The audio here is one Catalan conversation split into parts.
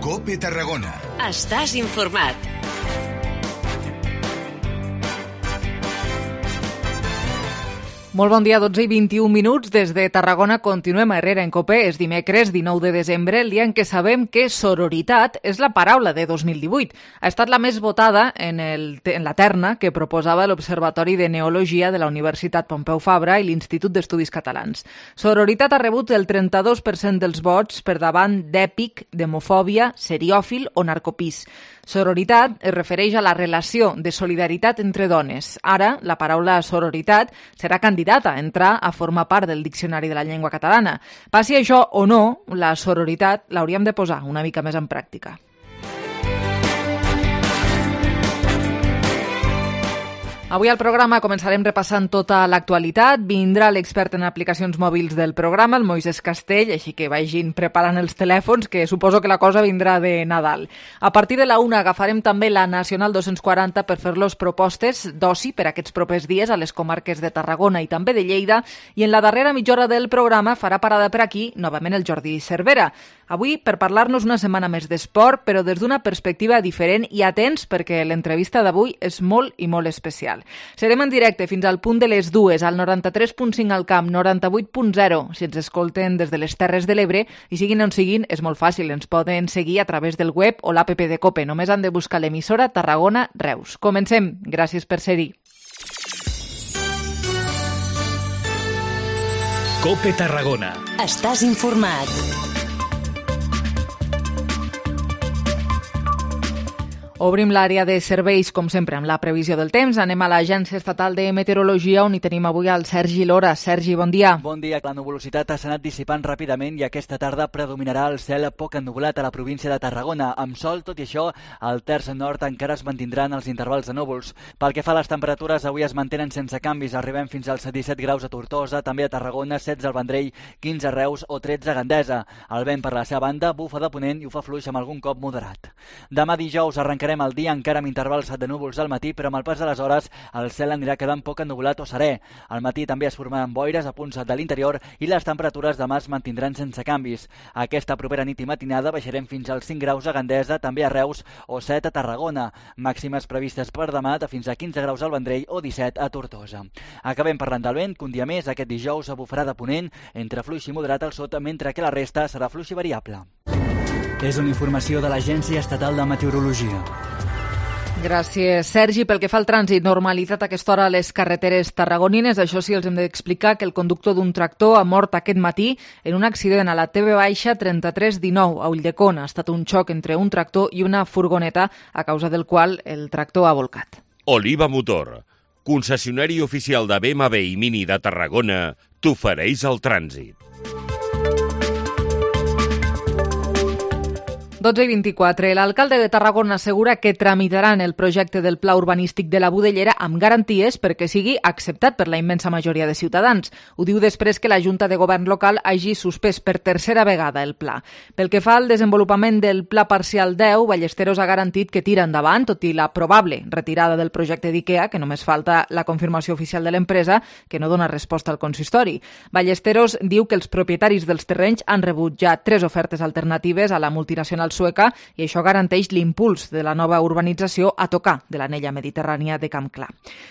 COPE Tarragona. Estàs informat. Molt bon dia, 12 i 21 minuts. Des de Tarragona continuem a Herrera en COPE. És dimecres 19 de desembre, el dia en què sabem que sororitat és la paraula de 2018. Ha estat la més votada en la terna que proposava l'Observatori de Neologia de la Universitat Pompeu Fabra i l'Institut d'Estudis Catalans. Sororitat ha rebut el 32% dels vots per davant d'èpic, d'homofòbia, seriòfil o narcopís. Sororitat es refereix a la relació de solidaritat entre dones. Ara, la paraula sororitat serà candidata a entrar a formar part del Diccionari de la Llengua Catalana. Passi això o no, la sororitat l'hauríem de posar una mica més en pràctica. Avui al programa començarem repassant tota l'actualitat. Vindrà l'expert en aplicacions mòbils del programa, el Moisés Castell, així que vagin preparant els telèfons, que suposo que la cosa vindrà de Nadal. A partir de la 1 agafarem també la Nacional 240 per fer-los propostes d'oci per aquests propers dies a les comarques de Tarragona i també de Lleida, i en la darrera mitja hora del programa farà parada per aquí novament el Jordi Cervera. Avui per parlar-nos una setmana més d'esport, però des d'una perspectiva diferent, i atents perquè l'entrevista d'avui és molt i molt especial. Serem en directe fins al punt de les 2, al 93.5 al Camp, 98.0, si ens escolten des de les Terres de l'Ebre, i siguin on siguin, és molt fàcil, ens poden seguir a través del web o l'app de COPE, només han de buscar l'emissora Tarragona Reus. Comencem, gràcies per ser-hi. COPE Tarragona. Estàs informat. Obrim l'àrea de serveis, com sempre, amb la previsió del temps. Anem a l'Agència Estatal de Meteorologia, on hi tenim avui el Sergi Lora. Sergi, bon dia. Bon dia. La nuvolositat s'ha anat dissipant ràpidament i aquesta tarda predominarà el cel poc ennuvolat a la província de Tarragona. Amb sol, tot i això, al terç nord encara es mantindran els intervals de núvols. Pel que fa a les temperatures, avui es mantenen sense canvis. Arribem fins als 17 graus a Tortosa, també a Tarragona, 16 al Vendrell, 15 a Reus o 13 a Gandesa. El vent, per la seva banda, bufa de ponent i ho fa fluix amb algun cop moderat. Demà dijous arrencarem el dia encara amb intervals de núvols al matí, però amb el pas de les hores el cel anirà quedant poc ennuvolat o serè. Al matí també es formaran boires a punts de l'interior i les temperatures demà es mantindran sense canvis. Aquesta propera nit i matinada baixarem fins als 5 graus a Gandesa, també a Reus o 7 a Tarragona. Màximes previstes per demà de fins a 15 graus al Vendrell o 17 a Tortosa. Acabem parlant del vent, que un dia més aquest dijous bufarà de ponent entre fluix i moderat al sud, mentre que la resta serà fluix i variable. És una informació de l'Agència Estatal de Meteorologia. Gràcies, Sergi. Pel que fa al trànsit, normalitat a aquesta hora a les carreteres tarragonines. Això sí, els hem d'explicar que el conductor d'un tractor ha mort aquest matí en un accident a la TV-3319 a Ulldecona. Ha estat un xoc entre un tractor i una furgoneta, a causa del qual el tractor ha volcat. Oliva Motor, concessionari oficial de BMW i Mini de Tarragona, t'ofereix el trànsit. 12 i 24. L'alcalde de Tarragona assegura que tramitaran el projecte del pla urbanístic de la Budellera amb garanties perquè sigui acceptat per la immensa majoria de ciutadans. Ho diu després que la Junta de Govern local hagi suspès per tercera vegada el pla. Pel que fa al desenvolupament del pla parcial 10, Ballesteros ha garantit que tira endavant, tot i la probable retirada del projecte d'IKEA, que només falta la confirmació oficial de l'empresa, que no dona resposta al consistori. Ballesteros diu que els propietaris dels terrenys han rebut ja 3 ofertes alternatives a la multinacional sueca i això garanteix l'impuls de la nova urbanització a tocar de l'anella mediterrània de Camp Clar.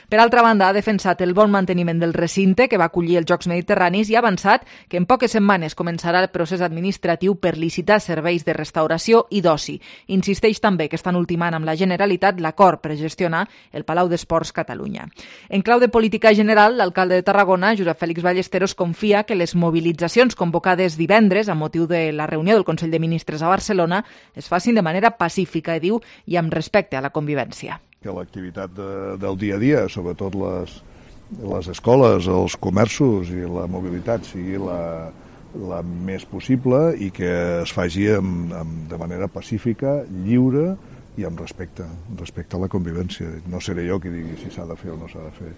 Per altra banda, ha defensat el bon manteniment del recinte que va acollir els Jocs Mediterranis i ha avançat que en poques setmanes començarà el procés administratiu per licitar serveis de restauració i d'oci. Insisteix també que estan ultimant amb la Generalitat l'acord per gestionar el Palau d'Esports Catalunya. En clau de política general, l'alcalde de Tarragona, Josep Fèlix Ballesteros, confia que les mobilitzacions convocades divendres a motiu de la reunió del Consell de Ministres a Barcelona es facin de manera pacífica, diu, i amb respecte a la convivència. Que l'activitat del dia a dia, sobretot les escoles, els comerços i la mobilitat sigui la més possible i que es faci de manera pacífica, lliure i amb respecte a la convivència. No seré jo qui digui si s'ha de fer o no s'ha de fer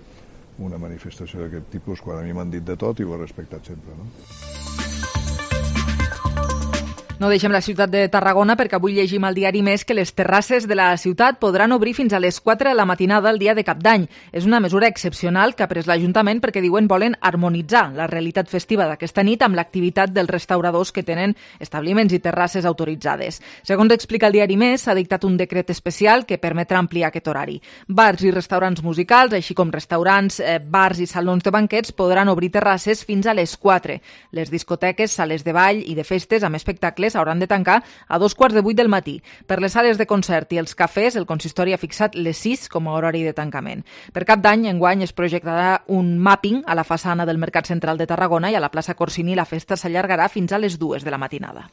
una manifestació d'aquest tipus, quan a mi m'han dit de tot i ho he respectat sempre, no? No deixem la ciutat de Tarragona perquè avui llegim al diari Més que les terrasses de la ciutat podran obrir fins a les 4 de la matinada el dia de Cap d'Any. És una mesura excepcional que ha pres l'Ajuntament perquè diuen volen harmonitzar la realitat festiva d'aquesta nit amb l'activitat dels restauradors que tenen establiments i terrasses autoritzades. Segons explica el diari Més, s'ha dictat un decret especial que permetrà ampliar aquest horari. Bars i restaurants musicals, així com restaurants, bars i salons de banquets podran obrir terrasses fins a les 4. Les discoteques, sales de ball i de festes amb espectacles hauran de tancar a 2:45 del matí. Per les sales de concert i els cafès, el consistori ha fixat les 6 com a horari de tancament. Per Cap d'Any, enguany, es projectarà un mapping a la façana del Mercat Central de Tarragona i a la plaça Corsini la festa s'allargarà fins a les 2 de la matinada.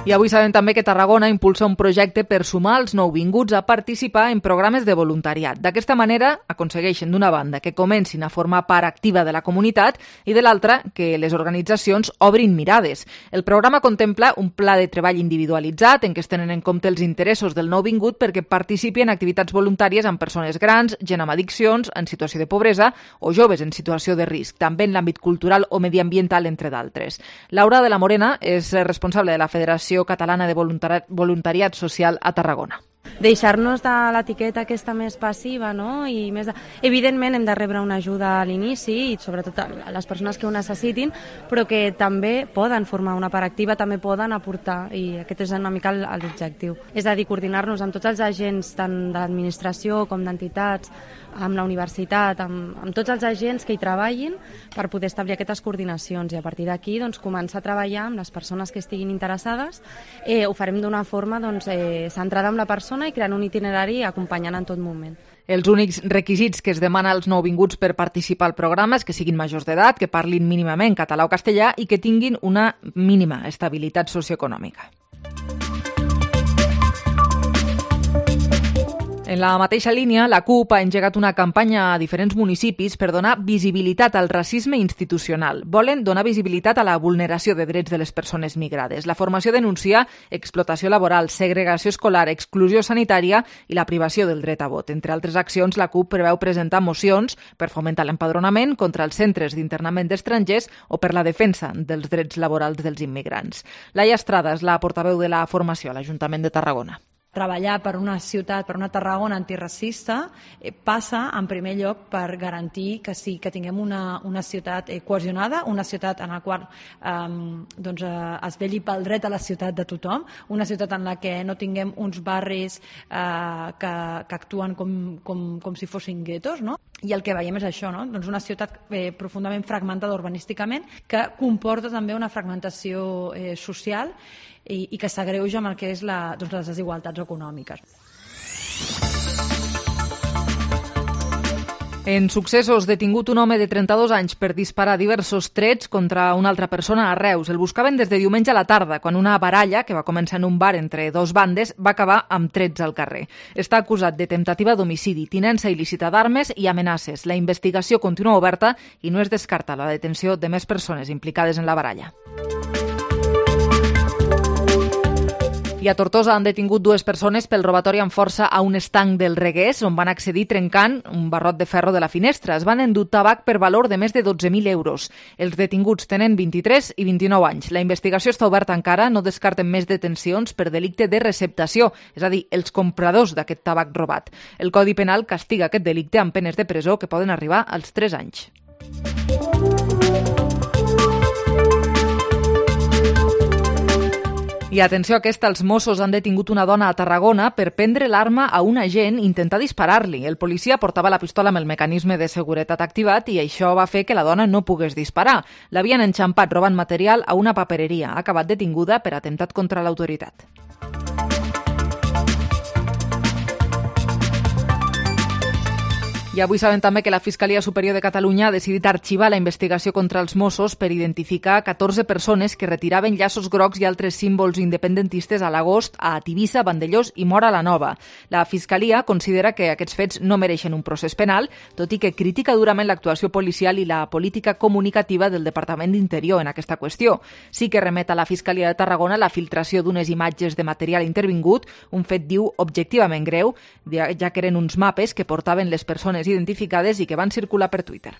I avui sabem també que Tarragona impulsa un projecte per sumar els nouvinguts a participar en programes de voluntariat. D'aquesta manera aconsegueixen, d'una banda, que comencin a formar part activa de la comunitat i, de l'altra, que les organitzacions obrin mirades. El programa contempla un pla de treball individualitzat en què es tenen en compte els interessos del nouvingut perquè participi en activitats voluntàries amb persones grans, gent amb addiccions, en situació de pobresa o joves en situació de risc, també en l'àmbit cultural o mediambiental, entre d'altres. Laura de la Morena és responsable de la Federació Catalana de Voluntariat Social a Tarragona. Deixar-nos de l'etiqueta aquesta més passiva, no? I més evidentment hem de rebre una ajuda a l'inici i sobretot a les persones que ho necessitin, però que també poden formar una part activa, també poden aportar, i aquest és una mica l'objectiu. És a dir, coordinar-nos amb tots els agents, tant de l'administració com d'entitats, amb la universitat, amb tots els agents que hi treballin per poder establir aquestes coordinacions i a partir d'aquí doncs, començar a treballar amb les persones que estiguin interessades. Ho farem d'una forma centrada en la persona i creant un itinerari acompanyant en tot moment. Els únics requisits que es demana als nouvinguts per participar al programa és que siguin majors d'edat, que parlin mínimament català o castellà i que tinguin una mínima estabilitat socioeconòmica. En la mateixa línia, la CUP ha engegat una campanya a diferents municipis per donar visibilitat al racisme institucional. Volen donar visibilitat a la vulneració de drets de les persones migrades. La formació denuncia explotació laboral, segregació escolar, exclusió sanitària i la privació del dret a vot. Entre altres accions, la CUP preveu presentar mocions per fomentar l'empadronament contra els centres d'internament d'estrangers o per la defensa dels drets laborals dels immigrants. Laia Estrada és la portaveu de la formació a l'Ajuntament de Tarragona. Treballar per una ciutat, per una Tarragona antiracista, passa en primer lloc per garantir que sí, que tinguem una ciutat cohesionada, una ciutat en la qual es vetlli pel dret a la ciutat de tothom, una ciutat en la que no tinguem uns barris que actuen com si fossin guetos, no? I el que veiem és això, no? Doncs una ciutat profundament fragmentada urbanísticament que comporta també una fragmentació social i que s'agreuja amb el que és les desigualtats econòmiques. En successos, detingut un home de 32 anys per disparar diversos trets contra una altra persona a Reus. El buscaven des de diumenge a la tarda, quan una baralla, que va començar en un bar entre dos bandes, va acabar amb trets al carrer. Està acusat de temptativa d'homicidi, tinença il·lícita d'armes i amenaces. La investigació continua oberta i no es descarta la detenció de més persones implicades en la baralla. I a Tortosa han detingut 2 persones pel robatori amb força a un estanc del Regués, on van accedir trencant un barrot de ferro de la finestra. Es van endur tabac per valor de més de 12.000 euros. Els detinguts tenen 23 i 29 anys. La investigació està oberta encara, no descarten més detencions per delicte de receptació, és a dir, els compradors d'aquest tabac robat. El Codi Penal castiga aquest delicte amb penes de presó que poden arribar als 3 anys. I atenció a aquesta, els Mossos han detingut una dona a Tarragona per prendre l'arma a un agent i intentar disparar-li. El policia portava la pistola amb el mecanisme de seguretat activat i això va fer que la dona no pogués disparar. L'havien enxampat robant material a una papereria. Ha acabat detinguda per atemptat contra l'autoritat. I avui sabem també que la Fiscalia Superior de Catalunya ha decidit arxivar la investigació contra els Mossos per identificar 14 persones que retiraven llaços grocs i altres símbols independentistes a l'agost a Tivissa, Vandellós i Móra la Nova. La Fiscalia considera que aquests fets no mereixen un procés penal, tot i que critica durament l'actuació policial i la política comunicativa del Departament d'Interior en aquesta qüestió. Sí que remet a la Fiscalia de Tarragona la filtració d'unes imatges de material intervingut, un fet, diu, objectivament greu, ja que eren uns mapes que portaven les persones identificades i que van circular per Twitter.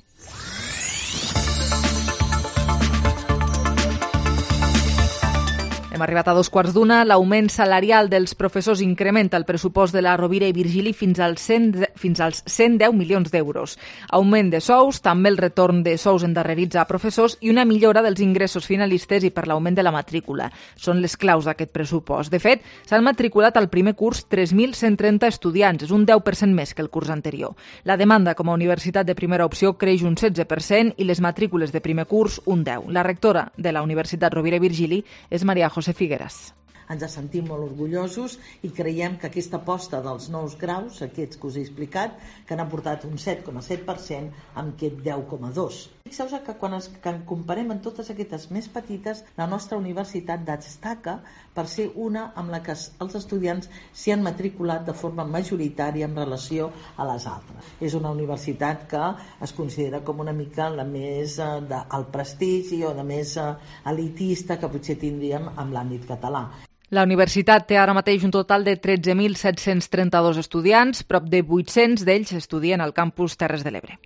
Hem arribat a 2:15. L'augment salarial dels professors incrementa el pressupost de la Rovira i Virgili fins als 110 milions d'euros. Augment de sous, també el retorn de sous endarrerits a professors i una millora dels ingressos finalistes i per l'augment de la matrícula. Són les claus d'aquest pressupost. De fet, s'han matriculat al primer curs 3.130 estudiants, és un 10% més que el curs anterior. La demanda com a universitat de primera opció creix un 16% i les matrícules de primer curs un 10%. La rectora de la Universitat Rovira i Virgili és Maria José Figueras. Ens sentim molt orgullosos i creiem que aquesta aposta dels nous graus, aquests que us he explicat, que han aportat un 7,7% amb aquest 10,2%. Fixeu-vos que quan comparem amb totes aquestes més petites, la nostra universitat destaca per ser una amb la que els estudiants s'hi han matriculat de forma majoritària en relació a les altres. És una universitat que es considera com una mica la més al prestigi o la més elitista que potser tindríem en l'àmbit català. La universitat té ara mateix un total de 13.732 estudiants, prop de 800 d'ells estudien al campus Terres de l'Ebre.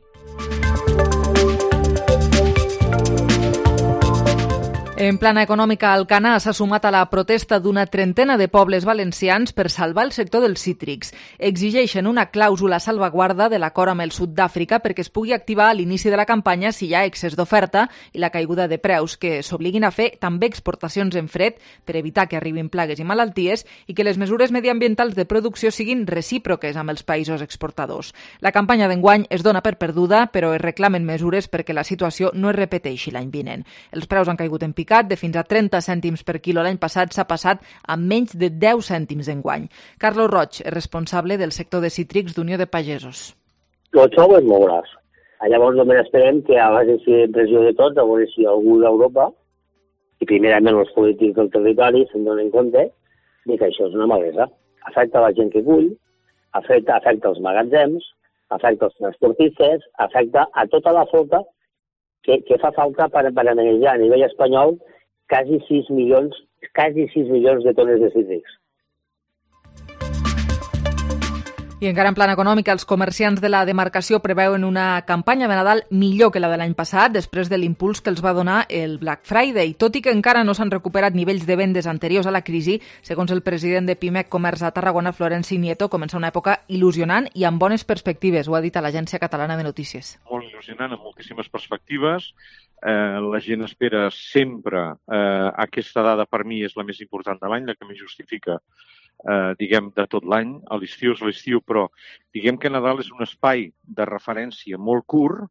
En plana econòmica, Alcanar s'ha sumat a la protesta d'una trentena de pobles valencians per salvar el sector dels cítrics. Exigeixen una clàusula salvaguarda de l'acord amb el sud d'Àfrica perquè es pugui activar a l'inici de la campanya si hi ha excés d'oferta i la caiguda de preus, que s'obliguin a fer també exportacions en fred per evitar que arribin plagues i malalties i que les mesures mediambientals de producció siguin recíproques amb els països exportadors. La campanya d'enguany es dona per perduda, però es reclamen mesures perquè la situació no es repeteixi l'any vinent. Els preus han caigut en picat, de fins a 30 cèntims per quilo l'any passat s'ha passat a menys de 10 cèntims d'enguany. Carlos Roig és responsable del sector de cítrics d'Unió de Pagesos. El xou es mourà. Llavors només esperem que abans de fer pressió de tot, a veure si algú d'Europa i primerament els polítics del territori se'n donen compte de que això és una malesa. Afecta la gent que cull, afecta els magatzems, afecta els transportistes, afecta a tota la flota que fa falta per manejar a nivell espanyol quasi 6 milions de tones de cítrics. I encara en plan econòmic, els comerciants de la demarcació preveuen una campanya de Nadal millor que la de l'any passat, després de l'impuls que els va donar el Black Friday. Tot i que encara no s'han recuperat nivells de vendes anteriors a la crisi, segons el president de Pimec Comerç a Tarragona, Florenci Nieto, comença una època il·lusionant i amb bones perspectives, ho ha dit a l'Agència Catalana de Notícies. Molt il·lusionant, amb moltíssimes perspectives. La gent espera sempre. Aquesta dada per mi és la més important de l'any, la que més justifica de tot l'any. A l'estiu és l'estiu, però diguem que Nadal és un espai de referència molt curt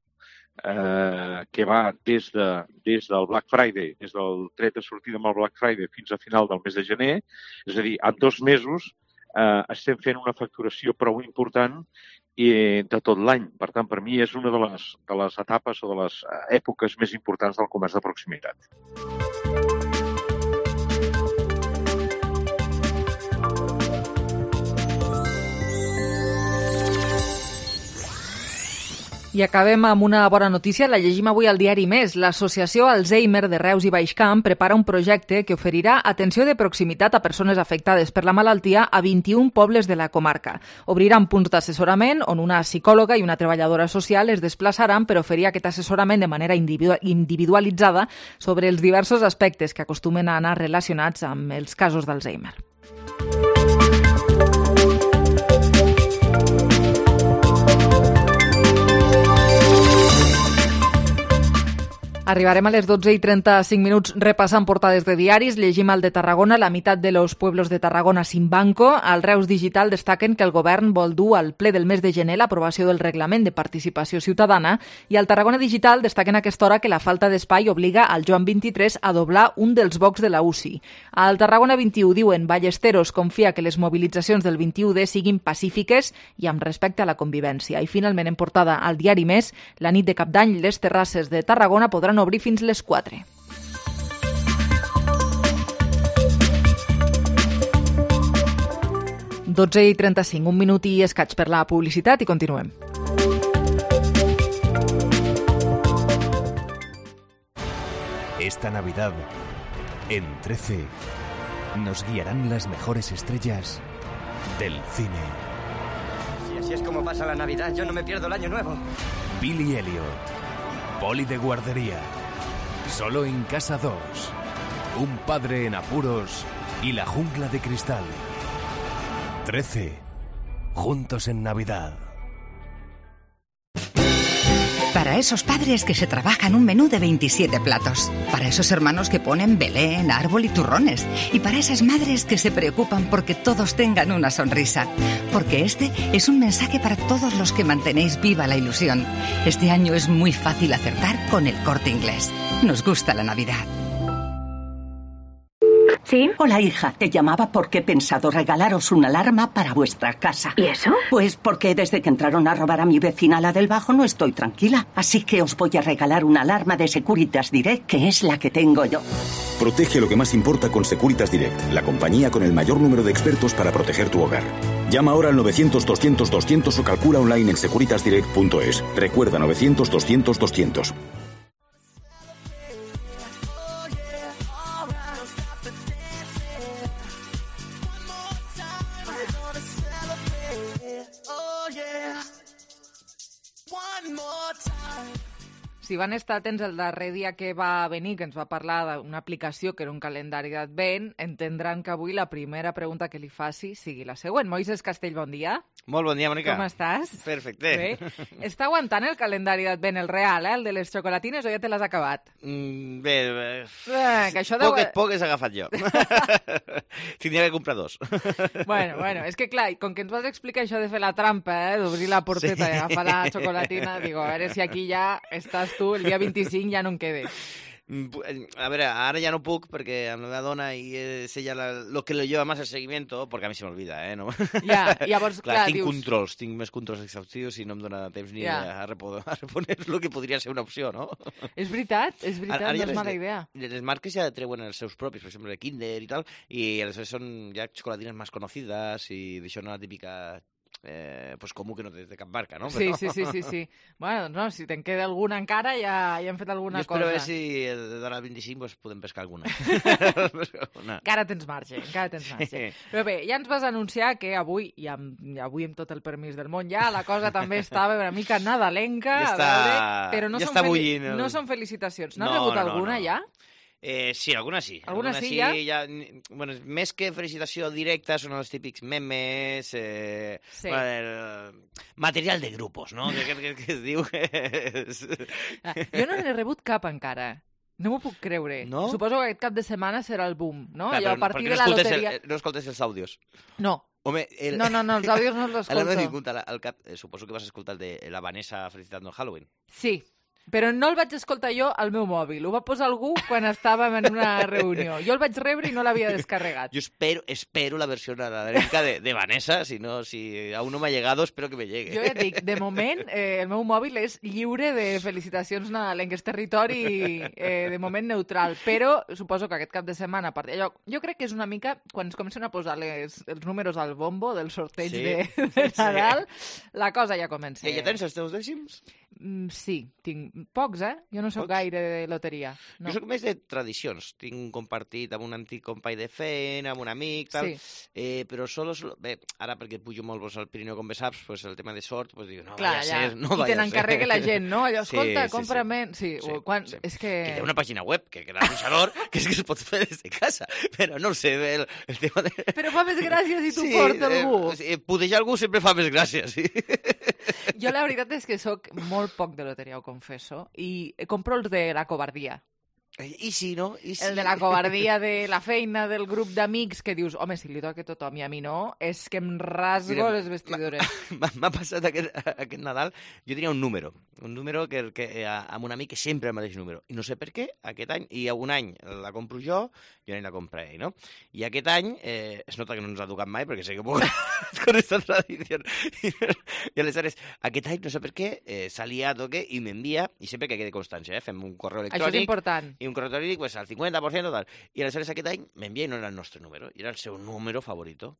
que va des del Black Friday, des del tret de sortida amb el Black Friday fins a final del mes de gener. És a dir, en 2 mesos estem fent una facturació prou important de tot l'any. Per tant, per mi és una de les etapes o de les èpoques més importants del comerç de proximitat. I acabem amb una bona notícia, la llegim avui al diari Més. L'associació Alzheimer de Reus i Baixcamp prepara un projecte que oferirà atenció de proximitat a persones afectades per la malaltia a 21 pobles de la comarca. Obriran punts d'assessorament on una psicòloga i una treballadora social es desplaçaran per oferir aquest assessorament de manera individualitzada sobre els diversos aspectes que acostumen a anar relacionats amb els casos d'Alzheimer. Arribarem a les 12:35 repassant portades de diaris. Llegim al de Tarragona, la meitat de los pueblos de Tarragona sin banco. Al Reus Digital destaquen que el govern vol dur al ple del mes de gener l'aprovació del reglament de participació ciutadana i al Tarragona Digital destaquen a aquesta hora que la falta d'espai obliga al Joan 23 a doblar un dels bocs de la UCI. Al Tarragona 21 diuen Ballesteros confia que les mobilitzacions del 21D siguin pacífiques i amb respecte a la convivència. I finalment en portada al diari Més, la nit de Cap d'Any les terrasses de Tarragona podran obrir fins les 4. Dotze i 35, un minut i escaig per la publicitat i continuem. Esta Navidad, en 13, nos guiarán las mejores estrellas del cine. Si así es como pasa la Navidad, yo no me pierdo el Año Nuevo. Billy Elliot, Poli de guardería, Solo en Casa 2, Un padre en apuros y la jungla de cristal. 13. Juntos en Navidad. Para esos padres que se trabajan un menú de 27 platos. Para esos hermanos que ponen Belén, árbol y turrones. Y para esas madres que se preocupan porque todos tengan una sonrisa. Porque este es un mensaje para todos los que mantenéis viva la ilusión. Este año es muy fácil acertar con El Corte Inglés. Nos gusta la Navidad. ¿Sí? Hola, hija. Te llamaba porque he pensado regalaros una alarma para vuestra casa. ¿Y eso? Pues porque desde que entraron a robar a mi vecina, la del Bajo, no estoy tranquila. Así que os voy a regalar una alarma de Securitas Direct, que es la que tengo yo. Protege lo que más importa con Securitas Direct, la compañía con el mayor número de expertos para proteger tu hogar. Llama ahora al 900-200-200 o calcula online en securitasdirect.es. Recuerda, 900-200-200. Si van estar atents el darrer dia que va venir, que ens va parlar d'una aplicació que era un calendari d'Advent, entendran que avui la primera pregunta que li faci sigui la següent. Moisés Castell, bon dia. Molt bon dia, Mònica. Com estàs? Perfecte. Bé. Està aguantant el calendari d'Advent, el real, el de les xocolatines, o ja te l'has acabat? Bé, que això deu... poques he agafat jo. Tindria que comprar dos. Bueno, és que clar, com que ens vas explicar això de fer la trampa, d'obrir la porteta i agafar la xocolatina, digo, a veure si aquí ja estàs tu, el dia 25 ja no en quede. A veure, ara ja no puc perquè amb la meva dona i és ella lo que lo lleva más el seguimiento, perquè a mi se m'olvida, No? Ja, llavors, clar, tinc dius... controls, tinc més controls exhaustius i no em dona temps ni a reponer lo que podria ser una opció, no? És veritat, no és mala idea. Les marques ja treuen els seus propis, per exemple, Kinder i tal, i aleshores són ja xocolatines més conocides i d'això no la típica... pues comú que no té de cap marca, no? Sí. Bueno, no, si te'n queda alguna encara, ja hem fet alguna cosa. Jo espero si d'ara al 25 pues, podem pescar alguna. Encara tens marge. Però bé, ja ens vas anunciar que avui, i avui amb tot el permís del món ja, la cosa també estava una mica nadalenca, però no són felicitacions. N'has rebut alguna ja? Sí, alguna sí. Alguna sí, ja? Bueno, més que felicitació directa, són els típics memes, material de grupos, no? Que es diu que és... Jo no n'he rebut cap encara. No m'ho puc creure. No? Suposo que aquest cap de setmana serà el boom, no? Clar, a partir de la loteria... No escoltes els àudios? No. Home, no, els àudios no els escolto. Suposo que vas escoltar el de la Vanessa felicitant el Halloween. Sí. Però no el vaig escoltar jo al meu mòbil. Ho va posar algú quan estàvem en una reunió. Jo el vaig rebre i no l'havia descarregat. Jo espero la versió nadalenca de Vanessa. Si aún no m'ha llegado, espero que me llegue. Jo ja et dic, de moment, el meu mòbil és lliure de felicitacions nadalenques. Territori, de moment, neutral. Però suposo que aquest cap de setmana... Jo crec que és una mica... Quan es comencen a posar els números al bombo del sorteig de Nadal, la cosa ja comença. I ja tens els teus dècims? Sí, tinc pocs, Jo no soc gaire de loteria. No. Jo soc més de tradicions. Tinc un compartit amb un antic company de feina, amb un amic, tal. Sí. Però solo... Bé, ara perquè pujo molt al Pirineu, com bé saps, pues el tema de sort, pues dic, no vaya a ser, no vaya a ser. I te n'encarregui la gent, no? Allò, escolta, compra-me... Sí. És que... Que hi ha una pàgina web, que era l'anunciador, que és que es pot fer des de casa. Però no sé, el tema de... Però fa més gràcia si t'ho porta algú. Pudejar algú sempre fa més gràcia, sí. Jo la veritat és que sóc molt poc de loteria, ho confesso, i compro els de la covardia. I sí, no? El de la covardia de la feina, del grup d'amics, que dius, home, si li toca a tothom i a mi no, és que em rasgo les vestidures. M'ha passat aquest Nadal, jo tenia un número que amb un amic que sempre el mateix número, i no sé per què, aquest any, i un any la compro jo i la compra ell, no? I aquest any, es nota que no ens ha tocat mai, perquè sé que puc con esta tradició. I aleshores, aquest any, no sé per què, s'ha liat o què, i m'envia, i sempre que quede constància, fem un correu electrònic. Això és important. I un correu electrònic, pues, al 50%, tal. I aleshores aquest any m'envia i no era el nostre número, i era el seu número favorito.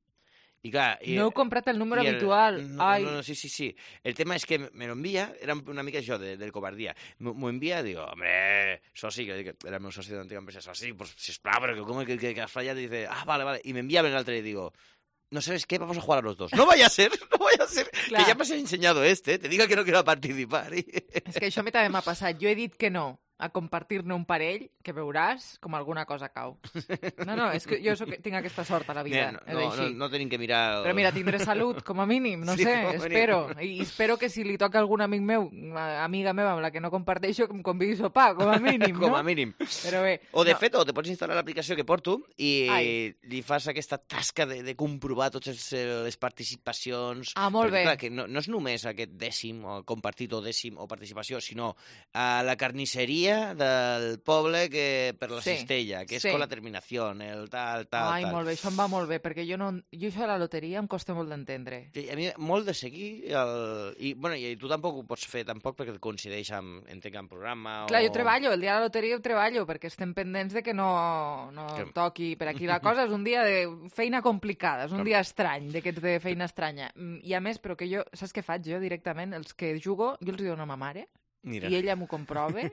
I clar... No heu comprat el número habitual. No, sí. El tema és que me lo envia, era una mica això del covardia. M'ho envia i digo, hombre, soci, que era el meu soci de l'antiga empresa, soci, pues, sisplau, però com que has fallat? I dice, vale. I m'envia a l'altre i digo, no sabes qué, vamos a jugar a los dos. No vaya a ser, que ya me has enseñado te diga que no quiero participar. És que això a mi també m'ha passat. Jo he dit que no a compartir-ne un parell, que veuràs com alguna cosa cau. No, és que jo tinc aquesta sort a la vida. No tenim que mirar... Però mira, tindré salut, com a mínim, no sé, espero. I espero que si li toca a algun amic meu, amiga meva amb la que no comparteixo, que em convidi a sopar, com a mínim, no? Com a mínim. Però bé... O de fet, te pots instal·lar l'aplicació que porto i li fas aquesta tasca de comprovar totes les participacions. Molt bé. Clar, que no és només aquest dècim, o compartit o dècim o participació, sinó a la carnisseria del poble que per la cistella, que és con la terminació, el tal. Ai, molt bé, això em va molt bé, perquè jo això de la loteria em costa molt d'entendre. A mi molt de seguir, i tu tampoc ho pots fer tampoc perquè et coincideix amb programa. Clar, jo treballo, el dia de la loteria ho treballo, perquè estem pendents de que no toqui per aquí la cosa. És un dia de feina complicada, és un dia estrany, d'aquests de feina estranya. I a més, però que jo, saps què faig jo directament? Els que jugo, jo els dono a ma mare, mira. I ella m'ho comprova,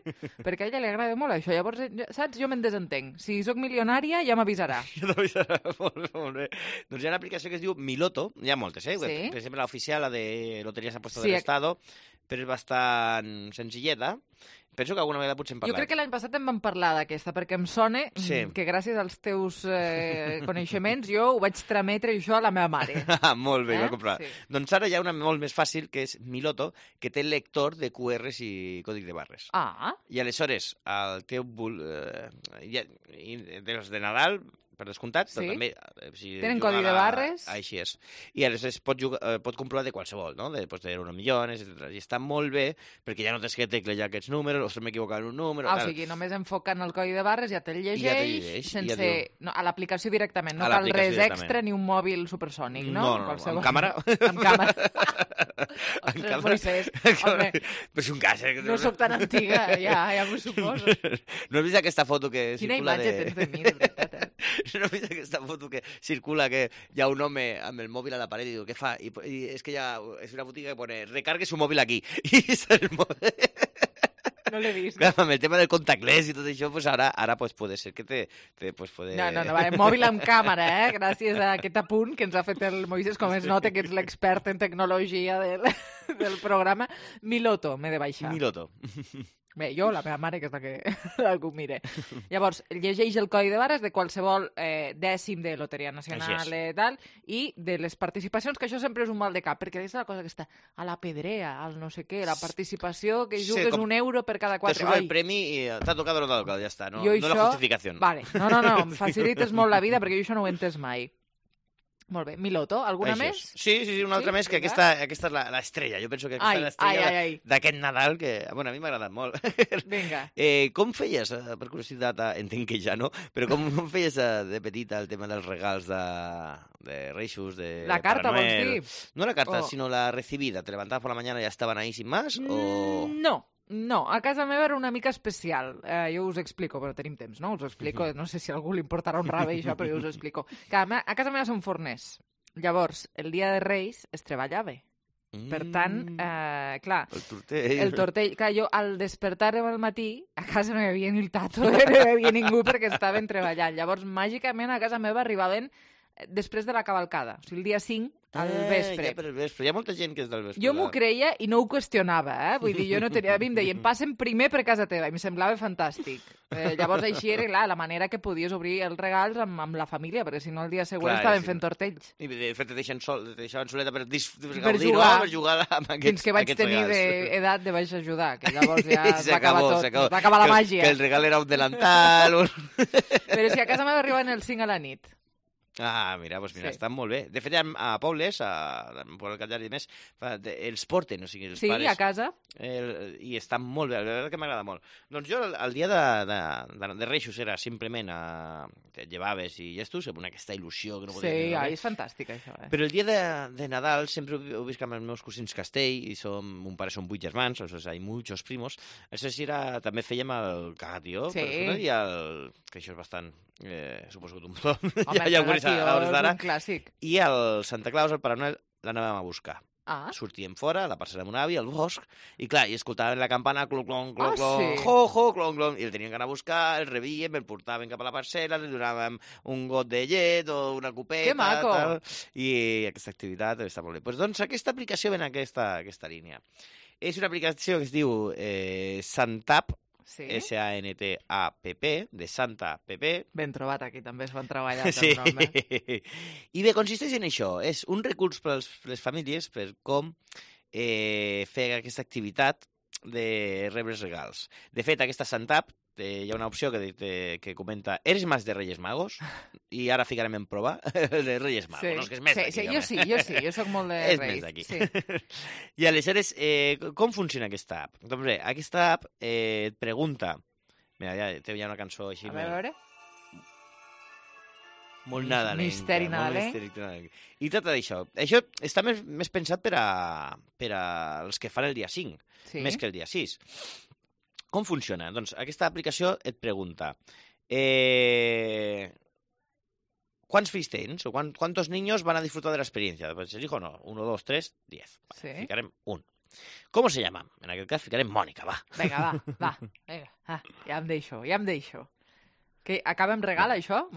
perquè a ella li agrada molt això. Llavors, saps, jo me'n desentenc. Si sóc milionària, ja m'avisarà. Ja t'avisarà, molt bé. Doncs hi ha una aplicació que es diu Miloto, hi ha moltes, Sí. Per exemple, la oficial, la de Loterías Apuestas del Estado, però és bastant senzilleta. Penso que alguna vegada potser hem parlat. Jo crec que l'any passat en vam parlar d'aquesta, perquè em sona que gràcies als teus coneixements jo ho vaig trametre això a la meva mare. Molt bé, va comprar. Sí. Doncs ara hi ha una molt més fàcil, que és Miloto, que té lector de QRs i còdic de barres. I aleshores, el teu... dels de Nadal, per descomptat, però també... Tenen codi de barres. Així és. I aleshores pot comprovar de qualsevol, no? Pots tenir 1 milió, etc. I està molt bé, perquè ja no tens que teclejar aquests números, o se m'he equivocat en un número... O sigui, només enfocant el codi de barres ja te'l llegeix, sense... a l'aplicació directament, no cal res extra ni un mòbil supersònic, no? No, amb càmera. Amb càmera. Ostres, Moisés, home... Però és un cas, no soc tan antiga, ja m'ho suposo. No has vist aquesta foto que circula de... Quina imatge tens de mi, de veritat, No has vist aquesta foto que circula, que hi ha un home amb el mòbil a la paret i diu, què fa? I és que és una botiga que pone, recargue su mòbil aquí. I el mòbil... No l'he vist. Clar, amb el tema del contactless i tot això, pues ara pues, puede ser que te pues, puede... No, vale, mòbil amb càmera, gràcies a aquest apunt que ens ha fet el Moisés, com es nota que ets l'expert en tecnologia del programa. Miloto, m'he de baixar. Miloto. Bé, jo, la meva mare, que és la que algú mire. Llavors, llegeix el codi de barres de qualsevol dècim de Loteria Nacional tal, i de les participacions, que això sempre és un mal de cap, perquè és la cosa que està a la pedrea, al no sé què, la participació, que jugues €1 per cada 4... Te sube el premi i t'ha tocat o no t'ha tocat, ja està, no la justificació. Vale, no, em facilites molt la vida, perquè jo això no ho he entès mai. Molt bé. Miloto, alguna més? Sí, una altra més, que aquesta és l'estrella. Jo penso que aquesta és l'estrella d'aquest Nadal, que a mi m'ha agradat molt. Vinga. Com feies, per curiositat, entenc que ja no, però com feies de petita el tema dels regals de Reixos, de la carta, Pare Noel? Vols dir? No la carta, sinó la recibida. Te levantabas por la mañana y ya estaban ahí sin más? O... No, a casa meva era una mica especial. Jo us explico, però tenim temps, no? Us explico, no sé si a algú li importarà un rave això, però jo us explico. Que a casa meva són forners. Llavors, el dia de Reis es treballava. Per tant, clar... El tortell. Clar, jo al despertar-me al matí, a casa no hi havia ni el tato, no hi havia ningú perquè estaven treballant. Llavors, màgicament, a casa meva arribaven després de la cavalcada, o sigui, el dia 5, al vespre. Ja per el vespre. Hi ha molta gent que és del vespre. Jo m'ho creia i no ho qüestionava, Vull dir, jo no tenia... A mi em deien, passen primer per casa teva, i em semblava fantàstic. Llavors, així era, clar, la manera que podies obrir els regals amb la família, perquè si no el dia següent estaven fent tortells. I de fet te deixaven soleta per gaudir, no? Per jugar amb aquests regals. Fins que vaig tenir d'edat de vaig ajudar, que llavors ja va acabar tot. Va acabar la màgia. Que el regal era un delantal... Però si a casa meva arribaven el 5 a la nit. Mira, està molt bé. De fet, a pobles, per el Catllari i més, els porten, o sigui, els pares... Sí, a casa. I està molt bé, la veritat que m'agrada molt. Doncs jo, el dia de Reixos era simplement te llevaves i gestos, amb aquesta il·lusió que no podia dir. Sí, és fantàstic, això. Però el dia de Nadal sempre ho visc amb els meus cosins Castell, i mon pare són 8 germans, o sigui, hi ha muchos primos. Això sí, també fèiem el cagatió, i que això és bastant... suposo que tothom ja ho coneix a hores d'ara. I el Santa Claus, el Pare Noel, l'anàvem a buscar. Sortíem fora, a la parcel·la de mon avi, al bosc, i clar, i escoltaven la campana, clon, clon, clon, clon, jo, clon, clon, i el tenien que anar a buscar, el rebíem, el portaven cap a la parcel·la, li donàvem un got de llet o una copeta... Que maco! Tal, i aquesta activitat està molt bé. Doncs aquesta aplicació ve en aquesta línia. És una aplicació que es diu Santap, Sí. S-A-N-T-A-P-P, de Santa Pepe. Ben trobat, aquí també es van treballar el Sí. nom, I bé, consisteix en això. És un recurs per les famílies per com fer aquesta activitat de rebre els regals. De fet, aquesta Santap hi ha una opció que comenta ¿eres más de Reyes Magos? I ara ficarem en prova de Reyes Magos. Sí. No, és que és més d'aquí. Jo soc molt de és Reis. més d'aquí. Sí. I aleshores, com funciona aquesta app? Doncs bé, aquesta app et pregunta... Mira, ja hi ha una cançó així... A veure... Molt nadalenca. Misteri nadalenc. I tot això. Això està més pensat per als que fan el dia 5, més que el dia 6. Com funciona? Doncs aquesta aplicació et pregunta ¿cuántos fills tens? O ¿cuántos niños van a disfrutar de la experiencia? Pues elijo no, 1, 2, 3, 10. Vale, ficarem 1. ¿Cómo se llama? En aquest cas ficarem Mònica, va. Vinga, va. Vinga. Ja em deixo. Que acaba amb regal, això?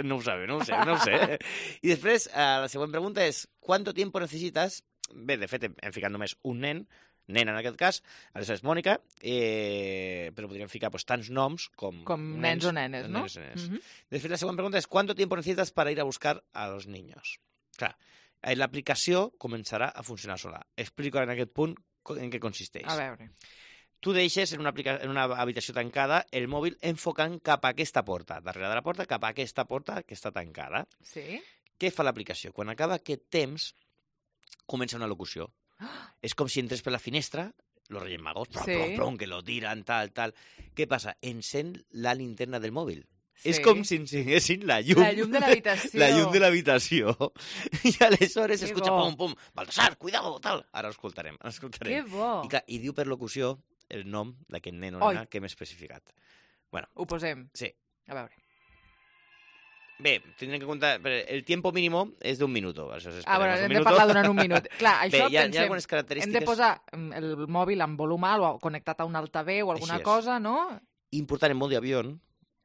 No ho sé. I després, la següent pregunta és ¿cuánto tiempo necesitas? Bé, de fet, hem ficat només un nen en aquest cas, aleshores Mònica, però podríem ficar tants noms com nens o nenes, no? Després la següent pregunta és ¿cuánto tiempo necesitas para ir a buscar a los niños? Clar, l'aplicació començarà a funcionar sola. Explico en aquest punt en què consisteix. A veure. Tu deixes en una habitació tancada el mòbil enfocant cap a aquesta porta, darrere de la porta, cap a aquesta porta que està tancada. Sí. Què fa l'aplicació? Quan acaba aquest temps, comença una locució. És com si entrés per la finestra, los Reyes Magos, prom, que lo tiran, tal. Què passa? Encén la linterna del mòbil. Sí. És com si encenguessin la llum. La llum de l'habitació. La llum de l'habitació. I aleshores s'escucha pum, Baltasar, cuidado, tal. Ara ho escoltarem. Que bo. I diu per locució el nom d'aquest nen o nena que hem especificat. Bueno, ho posem. Sí. A veure. Bé, tindrem que comptar... El tiempo mínimo és d'un minut. Bueno, hem de parlar durant un minut. Clar, això hi ha algunes característiques... Hem de posar el mòbil amb volum alt o connectat a un altaveu o alguna cosa, no? Important en mode avió.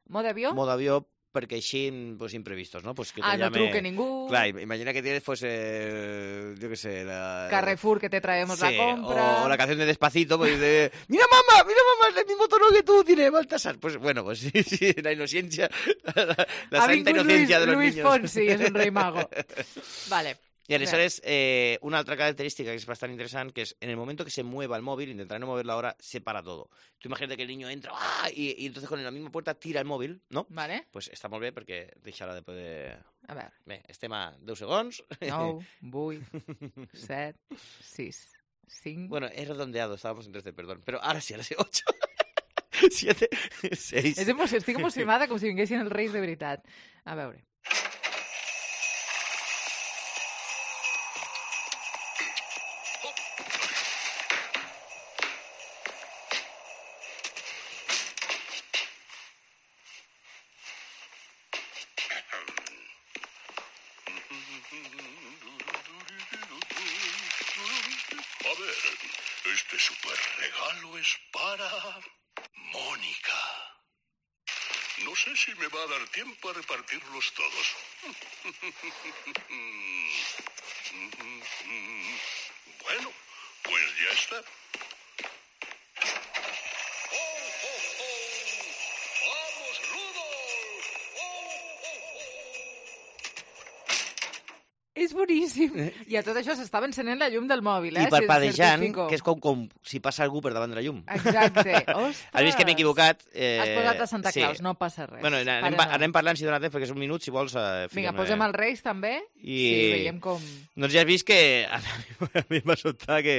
¿Modo avió? Modo avió, perquè així, imprevistos, ¿no? Pues que no truque ningú. Clar, imagina que tienes, pues, yo qué sé, la... Carrefour, que te traemos la compra. O la canción de Despacito, pues de... Mira, mamá, es el mismo tono que tú, tiene Baltasar. Pues, bueno, pues sí, la inocencia, la santa inocencia de los niños. Luis Fonsi és un rei mago. Vale. Y aleshores, una altra característica que es bastante interesante, que es en el momento que se mueva el móvil, intentaré no moverlo ahora, se para todo. Tú imagínate que el niño entra y entonces con la misma puerta tira el móvil, ¿no? Vale. Pues està molt bé perquè deixarà de poder... A veure. Bé, estem a 10 segons. 9, 8, 7, 6, 5... Bueno, he redondeado, estábamos en 13, perdón. Pero ahora sí, ahora sí, 8, 7, 6... Estic emocionada com si vinguessin els reis de veritat. A veure... A ver, este super regalo es para Mónica. No sé si me va a dar tiempo a repartirlos todos. Bueno, pues ya está. ¡Oh, oh, oh! ¡Vamos, Rudolf! ¡Oh, oh, oh! És boníssim. I a tot això s'estava encenent la llum del mòbil, I parpadejant, que és com si passa algú per davant de la llum. Exacte. Ostres. Has vist que m'he equivocat? Has posat a Santa Claus, no passa res. Bueno, anem parlant si dona temps, perquè és un minut, si vols... Vinga, posem els Reis també, i veiem com... Doncs ja has vist que a mi m'ha sobtat que...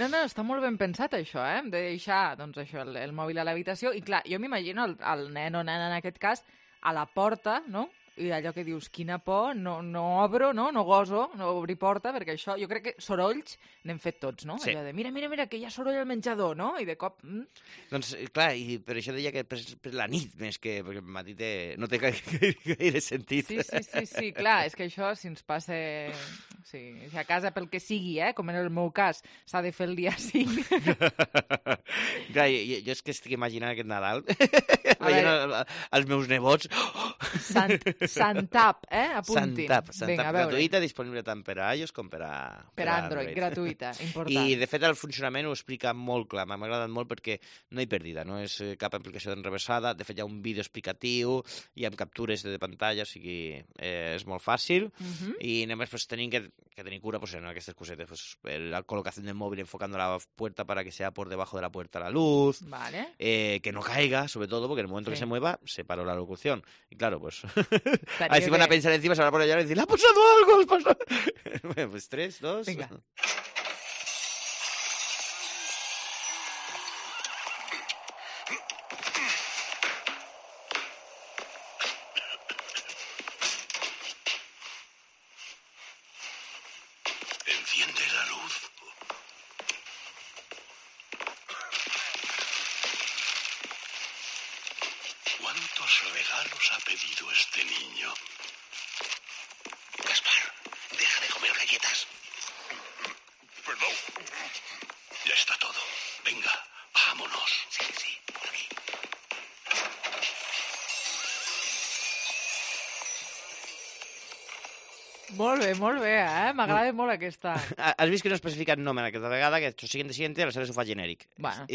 No, està molt ben pensat això, de deixar el mòbil a l'habitació, i clar, jo m'imagino el nen o nena en aquest cas a la porta, no?, i allò que dius, quina por, no obro, no goso, no obrir porta, perquè això, jo crec que sorolls n'hem fet tots, no? Sí. Allò de, mira, que hi ha soroll al menjador, no? I de cop... Doncs, clar, i per això deia que per la nit, més que... perquè el matí no té gaire sentit. Sí, clar, és que això, si ens passa... Sí, si a casa, pel que sigui, com en el meu cas, s'ha de fer el dia 5. Clar, jo és que estic imaginant aquest Nadal, veient els meus nebots... Sant Santap, apuntin. Santap Vinga, a veure. gratuïta, disponible tant per a iOS com per a Android. Gratuïta, important. I, de fet, el funcionament ho explica molt clar. M'ha agradat molt perquè no hi perdida, no és cap aplicació d'enrevessada. De fet, hi ha un vídeo explicatiu, hi ha captures de pantalla, o sigui, és molt fàcil. I només pues, tenim que tenir cura pues, en aquestes cosetes. Pues, la colocación del móvil enfocando la puerta para que sea por debajo de la puerta la luz. Vale. Que no caiga, sobre todo, porque en el momento que se mueva, se paró la locución. Y claro, pues... Ahí se van a pensar encima, se van a poner a llorar y decir, ¡le ha pasado algo! Bueno, pues 3, 2... Venga. Enciende la luz. ¿Cuántos regalos ha pedido este niño? Gaspar, deja de comer galletas. Perdón. Ya está todo. Venga, vámonos. Sí, por aquí. Molt bé, m'agrada molt aquesta. Has vist que no he especificat nom en aquesta vegada, que això siguiente aleshores ho fa genèric. Bueno,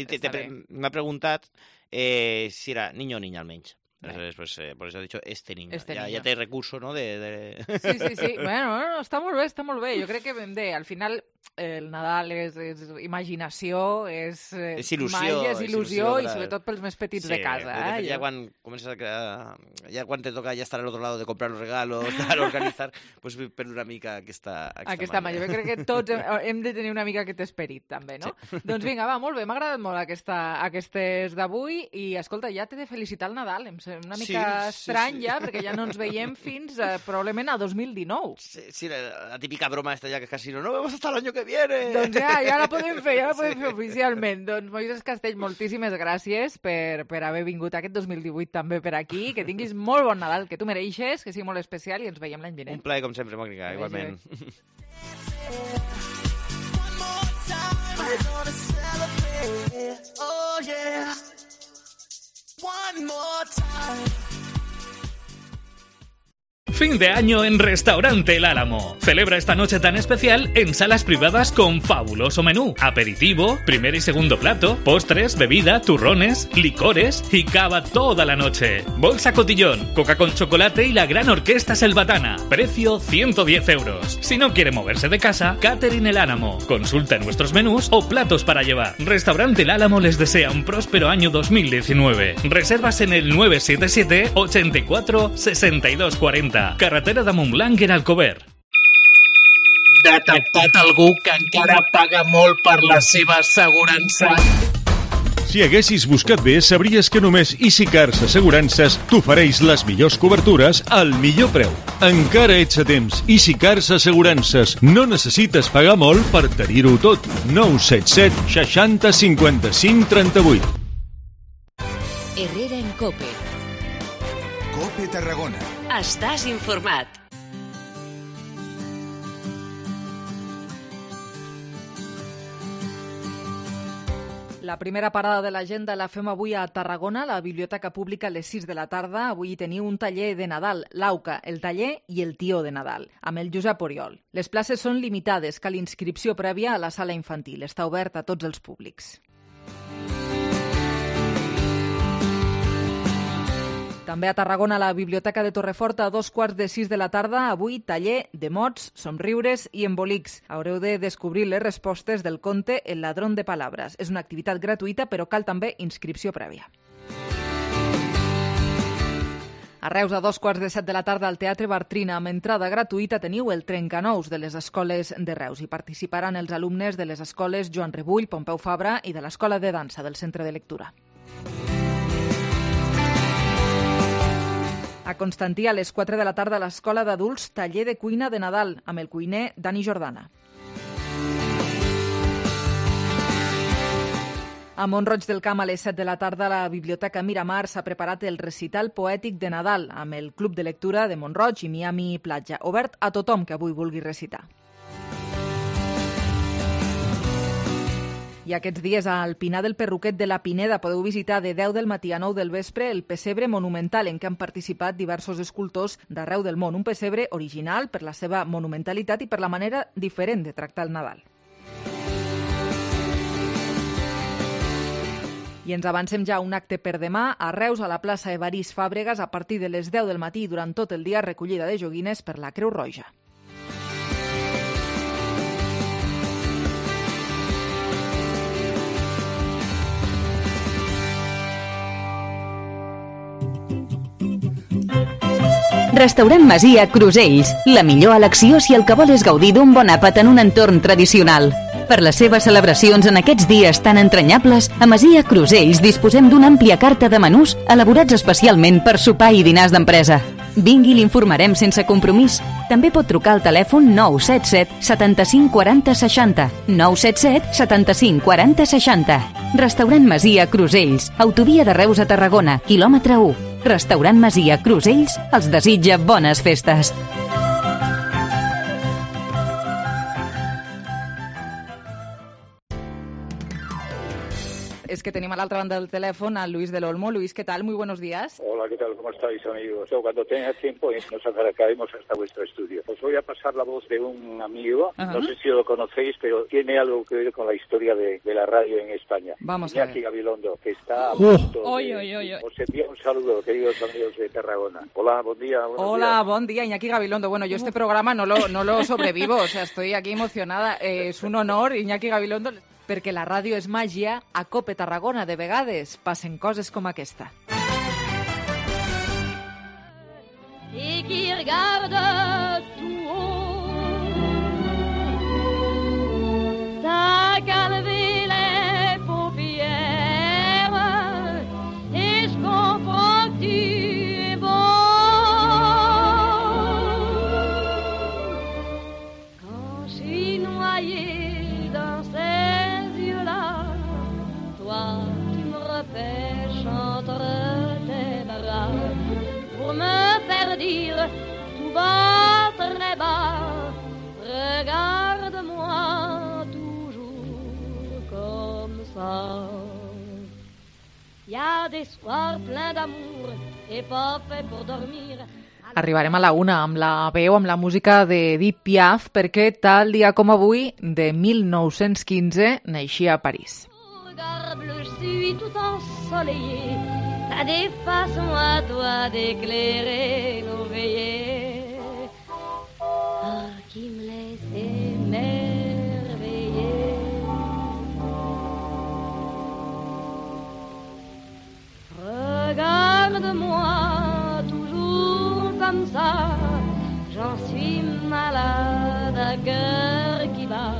m'ha preguntat si era niño o niña almenys. Entonces, pues, por eso he dicho este niño. Ya té recurso, ¿no? Sí. Bueno, està molt bé. Jo crec que ben bé. Al final, el Nadal és imaginació, és il·lusió, màgia, és il·lusió i sobretot pels més petits de casa. De fet, ja quan comences ja quan te toca ja estar al otro lado de comprar los regalos, de organitzar, pues per una mica aquesta màgia. Jo crec que tots hem de tenir una mica aquest esperit, també, no? Sí. Doncs vinga, va, molt bé, m'ha agradat molt aquestes d'avui i, escolta, ja t'he de felicitar el Nadal. Em sembla una mica estrany ja, perquè ja no ens veiem fins probablement a 2019. Sí, la típica broma esta ja que casi no vemos hasta el año que viene. Doncs ja la podem fer oficialment. Doncs Moisés Castell, moltíssimes gràcies per haver vingut aquest 2018 també per aquí, que tinguis molt bon Nadal, que tu mereixes, que sigui molt especial i ens veiem l'any vinent. Un plaer, com sempre, Mònica, igualment. Fin de año en Restaurante El Álamo. Celebra esta noche tan especial en salas privadas con fabuloso menú. Aperitivo, primer y segundo plato, postres, bebida, turrones, licores y cava toda la noche. Bolsa cotillón, coca con chocolate y la gran orquesta selvatana. Precio 110 euros. Si no quiere moverse de casa, Catering El Álamo. Consulta nuestros menús o platos para llevar. Restaurante El Álamo les desea un próspero año 2019. Reservas en el 977 84 62 40. Carretera de Montblanc en Alcover. Detectat algú que encara paga molt per la seva assegurança? Si haguessis buscat bé, sabries que només EasyCars Assegurances t'ofereix les millors cobertures al millor preu. Encara ets a temps. EasyCars Assegurances. No necessites pagar molt per tenir-ho tot. 977 60 55 38. Herrera en COPE. COPE Tarragona. Estàs informat. La primera parada de l'agenda la fem avui a Tarragona, a la Biblioteca Pública a les 6 de la tarda. Avui teniu un taller de Nadal, l'AUCA, el taller i el tió de Nadal, amb el Josep Oriol. Les places són limitades, cal inscripció prèvia a la sala infantil. Està obert a tots els públics. També a Tarragona, a la Biblioteca de Torrefort, a 5:15 de la tarda, avui taller de mots, somriures i embolics. Haureu de descobrir les respostes del conte El ladrón de palabras. És una activitat gratuïta, però cal també inscripció prèvia. A Reus, a 2:15 de la tarda, al Teatre Bartrina, amb entrada gratuïta, teniu el Trencanous de les escoles de Reus. Hi participaran els alumnes de les escoles Joan Rebull, Pompeu Fabra i de l'Escola de Dansa del Centre de Lectura. A Constantí, a les 4 de la tarda, a l'Escola d'Adults, taller de cuina de Nadal, amb el cuiner Dani Jordana. A Mont-roig del Camp, a les 7 de la tarda, a la Biblioteca Miramar s'ha preparat el recital poètic de Nadal amb el Club de Lectura de Mont-roig i Miami Platja, obert a tothom que avui vulgui recitar. I I aquests dies al Pinar del Perruquet de la Pineda podeu visitar de 10 del matí a 9 del vespre el pessebre monumental en què han participat diversos escultors d'arreu del món. Un pessebre original per la seva monumentalitat i per la manera diferent de tractar el Nadal. I ens avancem ja a un acte per demà a Reus, a la plaça Evarist Fàbregas, a partir de les 10 del matí i durant tot el dia, recollida de joguines per la Creu Roja. Restaurant Masia Crusells, la millor elecció si el que vol és gaudir d'un bon àpat en un entorn tradicional. Per les seves celebracions en aquests dies tan entranyables, a Masia Crusells disposem d'una àmplia carta de menús elaborats especialment per sopar i dinars d'empresa. Vingui i l'informarem sense compromís. També pot trucar al telèfon 977 75 40 60. 977 75 40 60. Restaurant Masia Crusells, autovia de Reus a Tarragona, quilòmetre 1. Restaurant Masia Crusells els desitja bones festes. Es que tenim a la otra banda del teléfono a Luis del Olmo. Luis, ¿qué tal? Muy buenos días. Hola, ¿qué tal? ¿Cómo estáis, amigos? Cuando tenga tiempo nos acercaremos hasta vuestro estudio. Os voy a pasar la voz de un amigo, no sé si lo conocéis, pero tiene algo que ver con la historia de la radio en España. Vamos Iñaki Gabilondo, que está a punto Oye. Os envío un saludo, queridos amigos de Tarragona. Hola, buen día. Hola, buen día, Iñaki Gabilondo. Bueno, yo este programa no lo sobrevivo, o sea, estoy aquí emocionada. Es un honor, Iñaki Gabilondo, perquè la ràdio és màgia, a Cope Tarragona de vegades passen coses com aquesta. Et qui regarde tout haut, t'as qu'à lever les paupières et je comprends que tu es beau. Quand je suis noyée dans ces yeux-là, toi tu me repêches entre tes bras pour me faire dire tout bas, très bas, regarde-moi toujours comme ça. Y a des soirs pleins d'amour et pas fait pour dormir. Arribarem a la una amb la veu, amb la música d'Edith Piaf, perquè tal dia com avui, de 1915, naixia a París. Regard bleu, je suis tout ensoleillé. T'as des façons à toi d'éclairer nos veillées, qui me laissent émerveiller. Regarde-moi toujours comme ça, j'en suis malade à cœur qui bat.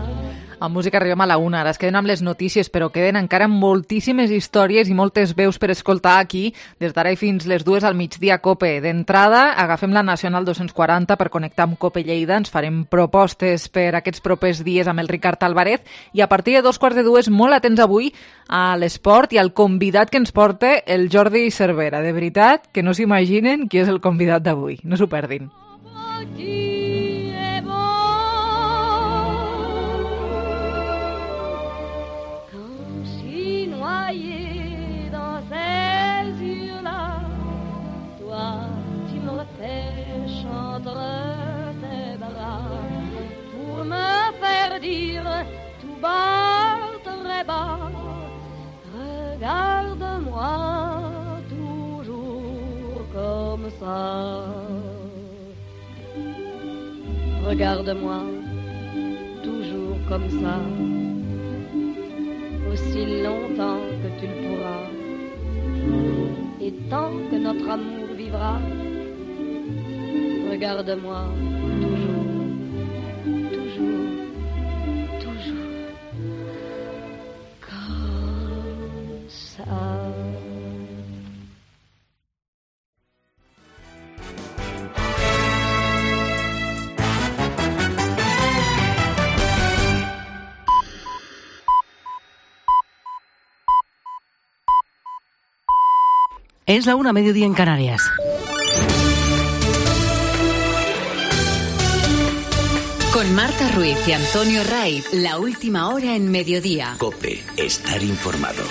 Amb música arribem a la una, ara es queden amb les notícies, però queden encara moltíssimes històries i moltes veus per escoltar aquí, des d'ara i fins les 2 al migdia a Cope. D'entrada, agafem la Nacional 240 per connectar amb Cope Lleida, ens farem propostes per aquests propers dies amb el Ricard Álvarez, i a partir de 2:45, molt atents avui a l'esport i al convidat que ens porta el Jordi Cervera. De veritat, que no s'imaginen qui és el convidat d'avui, no s'ho perdin. Dire tout bas, très bas, regarde-moi toujours comme ça. Regarde-moi toujours comme ça, aussi longtemps que tu le pourras, et tant que notre amour vivra. Regarde-moi toujours. Es la 1:00, mediodía en Canarias. Con Marta Ruiz y Antonio Ray, la última hora en mediodía. COPE, estar informado.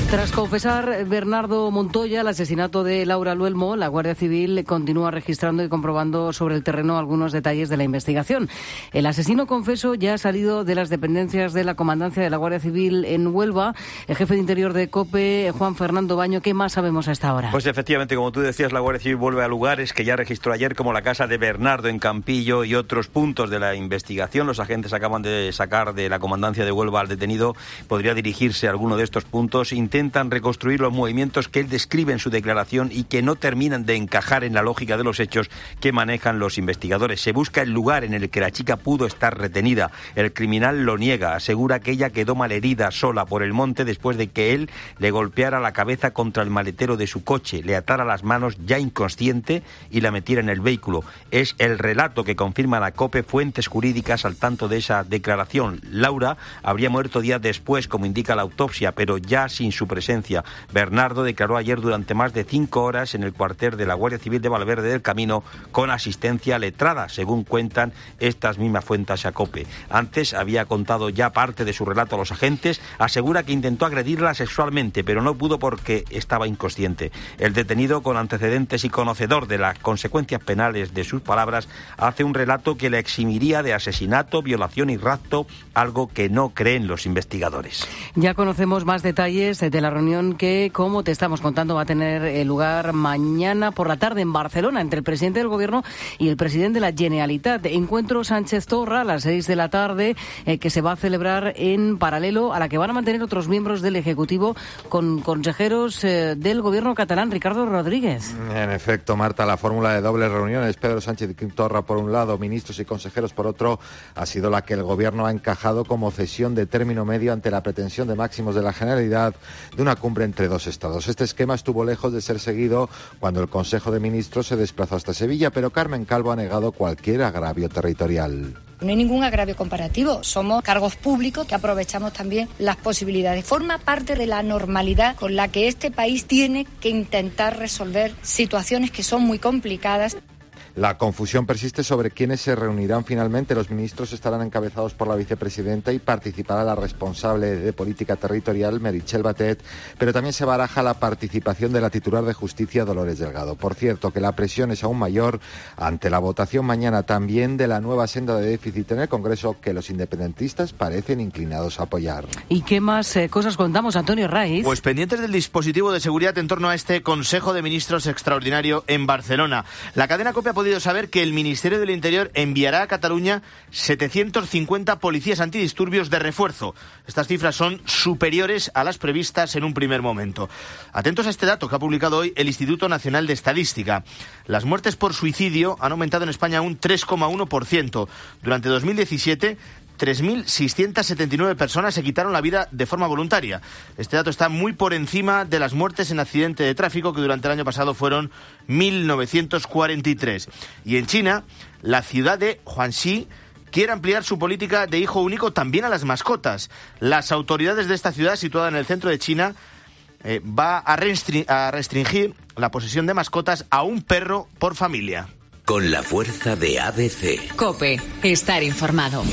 Tras confesar Bernardo Montoya el asesinato de Laura Luelmo, la Guardia Civil continúa registrando y comprobando sobre el terreno algunos detalles de la investigación. El asesino confeso ya ha salido de las dependencias de la Comandancia de la Guardia Civil en Huelva. El jefe de Interior de COPE, Juan Fernando Baño, ¿qué más sabemos a esta hora? Pues efectivamente, como tú decías, la Guardia Civil vuelve a lugares que ya registró ayer, como la casa de Bernardo en Campillo y otros puntos de la investigación. Los agentes acaban de sacar de la Comandancia de Huelva al detenido. Podría dirigirse a alguno de estos puntos. Intentan reconstruir los movimientos que él describe en su declaración y que no terminan de encajar en la lógica de los hechos que manejan los investigadores. Se busca el lugar en el que la chica pudo estar retenida. El criminal lo niega. Asegura que ella quedó malherida sola por el monte después de que él le golpeara la cabeza contra el maletero de su coche, le atara las manos ya inconsciente y la metiera en el vehículo. Es el relato que confirma la COPE, fuentes jurídicas al tanto de esa declaración. Laura habría muerto días después, como indica la autopsia, pero ya sin su presencia. Bernardo declaró ayer durante más de 5 horas en el cuartel de la Guardia Civil de Valverde del Camino con asistencia letrada, según cuentan estas mismas fuentes a COPE. Antes había contado ya parte de su relato a los agentes. Asegura que intentó agredirla sexualmente, pero no pudo porque estaba inconsciente. El detenido, con antecedentes y conocedor de las consecuencias penales de sus palabras, hace un relato que le eximiría de asesinato, violación y rapto, algo que no creen los investigadores. Ya conocemos más detalles de la reunión que, como te estamos contando, va a tener lugar mañana por la tarde en Barcelona entre el presidente del Gobierno y el presidente de la Generalitat. Encuentro Sánchez Torra a las 6 de la tarde que se va a celebrar en paralelo a la que van a mantener otros miembros del Ejecutivo con consejeros del Gobierno catalán. Ricardo Rodríguez. En efecto, Marta, la fórmula de dobles reuniones, Pedro Sánchez y Quim Torra por un lado, ministros y consejeros por otro, ha sido la que el Gobierno ha encajado como cesión de término medio ante la pretensión de máximos de la Generalidad de una cumbre entre dos estados. Este esquema estuvo lejos de ser seguido cuando el Consejo de Ministros se desplazó hasta Sevilla, pero Carmen Calvo ha negado cualquier agravio territorial. No hay ningún agravio comparativo. Somos cargos públicos que aprovechamos también las posibilidades. Forma parte de la normalidad con la que este país tiene que intentar resolver situaciones que son muy complicadas. La confusión persiste sobre quiénes se reunirán finalmente. Los ministros estarán encabezados por la vicepresidenta y participará la responsable de política territorial, Meritxell Batet, pero también se baraja la participación de la titular de Justicia, Dolores Delgado. Por cierto, que la presión es aún mayor ante la votación mañana también de la nueva senda de déficit en el Congreso, que los independentistas parecen inclinados a apoyar. ¿Y qué más cosas contamos, Antonio Raiz? Pues pendientes del dispositivo de seguridad en torno a este Consejo de Ministros extraordinario en Barcelona. La cadena COPE ha podido saber que el Ministerio del Interior enviará a Cataluña 750 policías antidisturbios de refuerzo. Estas cifras son superiores a las previstas en un primer momento. Atentos a este dato que ha publicado hoy el Instituto Nacional de Estadística. Las muertes por suicidio han aumentado en España un 3,1%. Durante 2017... 3.679 personas se quitaron la vida de forma voluntaria. Este dato está muy por encima de las muertes en accidente de tráfico, que durante el año pasado fueron 1.943. Y en China, la ciudad de Huangxi quiere ampliar su política de hijo único también a las mascotas. Las autoridades de esta ciudad, situada en el centro de China, va a restringir la posesión de mascotas a un perro por familia. Con la fuerza de ABC. COPE, estar informado.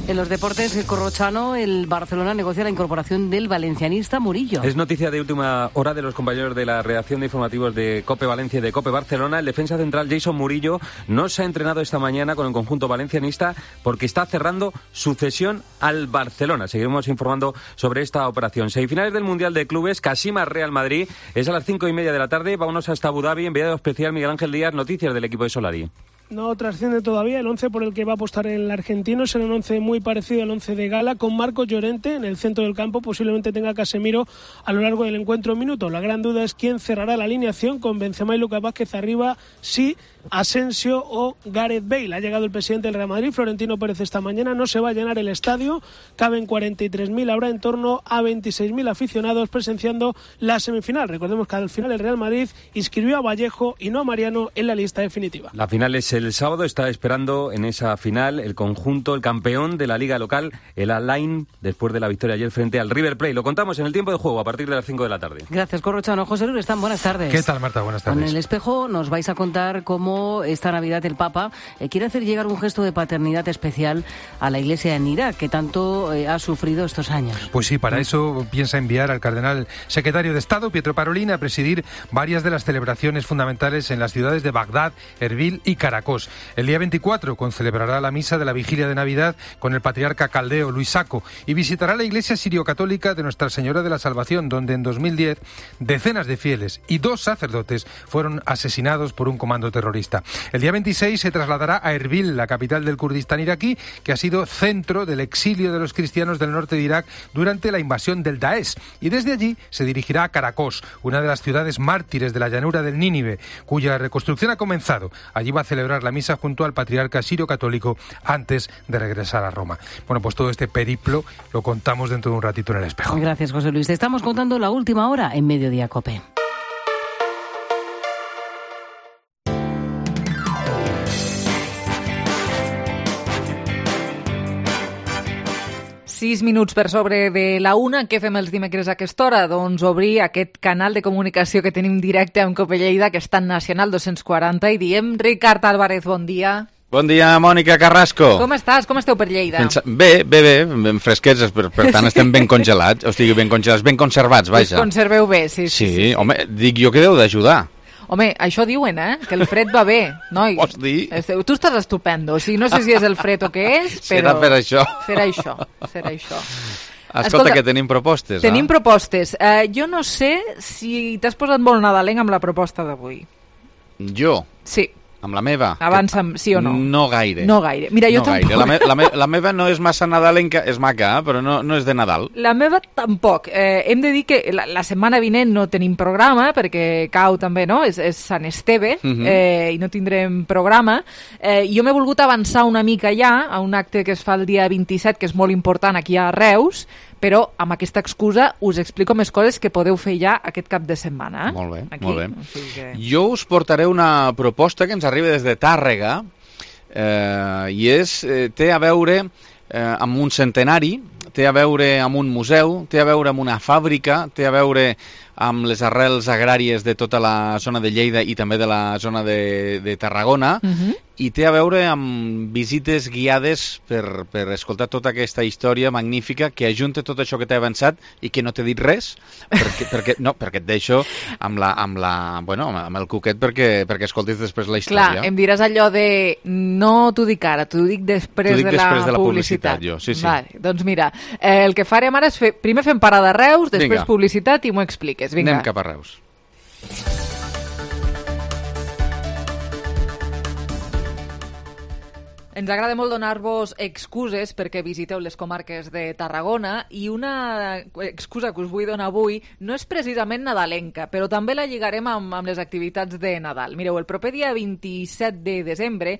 En los deportes, Corrochano, el Barcelona negocia la incorporación del valencianista Murillo. Es noticia de última hora de los compañeros de la redacción de informativos de COPE Valencia y de COPE Barcelona. El defensa central Jason Murillo no se ha entrenado esta mañana con el conjunto valencianista porque está cerrando su cesión al Barcelona. Seguiremos informando sobre esta operación. Semifinales del Mundial de Clubes, Kashima Real Madrid. Es a las 5:30 de la tarde. Vámonos hasta Abu Dhabi. Enviado especial Miguel Ángel Díaz. Noticias del equipo de Solari. No trasciende todavía el 11 por el que va a apostar el argentino. Será un 11 muy parecido al 11 de gala, con Marcos Llorente en el centro del campo. Posiblemente tenga Casemiro a lo largo del encuentro un minuto. La gran duda es quién cerrará la alineación, con Benzema y Lucas Vázquez arriba, sí, Asensio o Gareth Bale. Ha llegado el presidente del Real Madrid, Florentino Pérez, esta mañana. No se va a llenar el estadio, caben 43.000, habrá en torno a 26.000 aficionados presenciando la semifinal. Recordemos que al final el Real Madrid inscribió a Vallejo y no a Mariano en la lista definitiva. La final es el sábado está esperando en esa final el conjunto, el campeón de la liga local, el Alain, después de la victoria ayer frente al River Plate. Lo contamos en el tiempo de juego a partir de las 5 de la tarde. Gracias, Corrochano. José Luis Están, buenas tardes. ¿Qué tal, Marta? Buenas tardes. Con El Espejo nos vais a contar cómo esta Navidad el Papa quiere hacer llegar un gesto de paternidad especial a la Iglesia en Irak, que tanto ha sufrido estos años. Pues sí, para eso piensa enviar al cardenal secretario de Estado, Pietro Parolin, a presidir varias de las celebraciones fundamentales en las ciudades de Bagdad, Erbil y Caracos. El día 24 concelebrará la misa de la vigilia de Navidad con el patriarca caldeo Luis Sacco y visitará la iglesia sirio-católica de Nuestra Señora de la Salvación, donde en 2010 decenas de fieles y 2 sacerdotes fueron asesinados por un comando terrorista. El día 26 se trasladará a Erbil, la capital del Kurdistán iraquí, que ha sido centro del exilio de los cristianos del norte de Irak durante la invasión del Daesh. Y desde allí se dirigirá a Caracos, una de las ciudades mártires de la llanura del Nínive, cuya reconstrucción ha comenzado. Allí va a celebrar la misa junto al patriarca sirio-católico antes de regresar a Roma. Bueno, pues todo este periplo lo contamos dentro de un ratito en El Espejo. Gracias, José Luis. Te estamos contando la última hora en Mediodía Cope. Sis minuts per sobre de la una. Què fem els dimecres a aquesta hora? Doncs obrir aquest canal de comunicació que tenim directe amb Cope Lleida, que està en Nacional 240, i diem Ricard Álvarez, bon dia. Bon dia, Mònica Carrasco. Com estàs? Com esteu per Lleida? Bé, ben fresquets, per tant estem ben congelats, o sigui, ben congelats, ben conservats, vaja. Us conserveu bé, sí. Sí, home, dic jo que deu d'ajudar. Home, això diuen, que el fred va bé, noi. Vols dir? Tu estàs estupendo, o sigui, no sé si és el fred o què és, però... Serà per això. Serà això. Escolta, que tenim propostes, Tenim propostes. Jo no sé si t'has posat molt nadalenc amb la proposta d'avui. Jo? Sí. Amb la meva? Avança'm, sí o no? No gaire. No gaire. Mira, jo tampoc. La meva no és massa nadalenca, és maca, però no és de Nadal. La meva tampoc. Hem de dir que la setmana vinent no tenim programa, perquè cau també, no? És Sant Esteve, i no tindrem programa. Jo m'he volgut avançar una mica ja a un acte que es fa el dia 27, que és molt important aquí a Reus, però amb aquesta excusa us explico més coses que podeu fer ja aquest cap de setmana. Molt bé, aquí, molt bé. O sigui que... Jo us portaré una proposta que ens arriba des de Tàrrega i té a veure amb un centenari, té a veure amb un museu, té a veure amb una fàbrica, té a veure amb les arrels agràries de tota la zona de Lleida i també de la zona de Tarragona, i té a veure amb visites guiades per escoltar tota aquesta història magnífica que ajunta tot això que t'he avançat i que no t'he dit res, perquè et deixo amb el cuquet perquè escoltis després la història. Clar, em diràs allò de no t'ho dic ara, t'ho dic després de la publicitat. Jo, sí. Vale, doncs mira, el que farem ara és primer fem parada a Reus, després publicitat i m'ho expliques. Vinga. Anem cap a Reus. Ens agrada molt donar-vos excuses perquè visiteu les comarques de Tarragona i una excusa que us vull donar avui no és precisament nadalenca, però també la lligarem amb les activitats de Nadal. Mireu, el proper dia 27 de desembre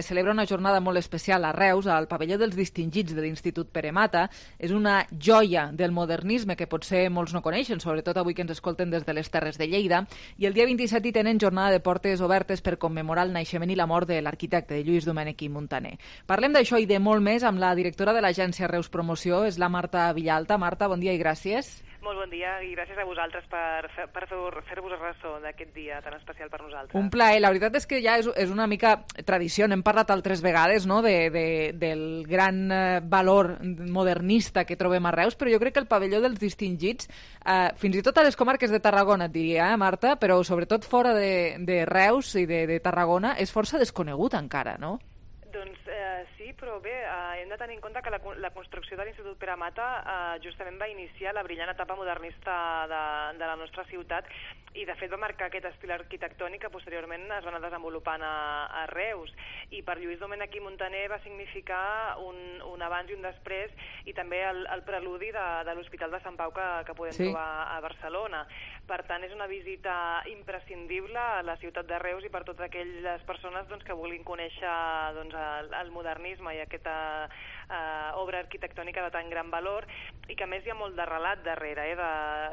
celebra una jornada molt especial a Reus, al pavelló dels distingits de l'Institut Pere Mata. És una joia del modernisme que potser molts no coneixen, sobretot avui que ens escolten des de les Terres de Lleida. I el dia 27 hi tenen jornada de portes obertes per commemorar el naixement i la mort de l'arquitecte, de Lluís Domènech i Muntaner. Parlem d'això i de molt més amb la directora de l'agència Reus Promoció, és la Marta Villalta. Marta, bon dia i gràcies. Molt bon dia i gràcies a vosaltres per fer-vos ressò d'aquest dia tan especial per nosaltres. Un plaer. La veritat és que ja és una mica tradició. N'hem parlat altres vegades, no?, del gran valor modernista que trobem a Reus, però jo crec que el pavelló dels distingits, fins i tot a les comarques de Tarragona, et diria, Marta, però sobretot fora de Reus i de Tarragona, és força desconegut encara, no? Doncs sí, però bé, hem de tenir en compte que la construcció de l'Institut Pere Mata justament va iniciar la brillant etapa modernista de la nostra ciutat i de fet va marcar aquest estil arquitectònic que posteriorment es va anar desenvolupant a Reus, i per Lluís Domènech i Muntaner va significar un abans i un després, i també el preludi de l'Hospital de Sant Pau que podem trobar a Barcelona. Per tant, és una visita imprescindible a la ciutat de Reus i per totes aquelles persones que vulguin conèixer el modernisme modernisme i aquesta obra arquitectònica de tan gran valor, i que a més hi ha molt de relat darrere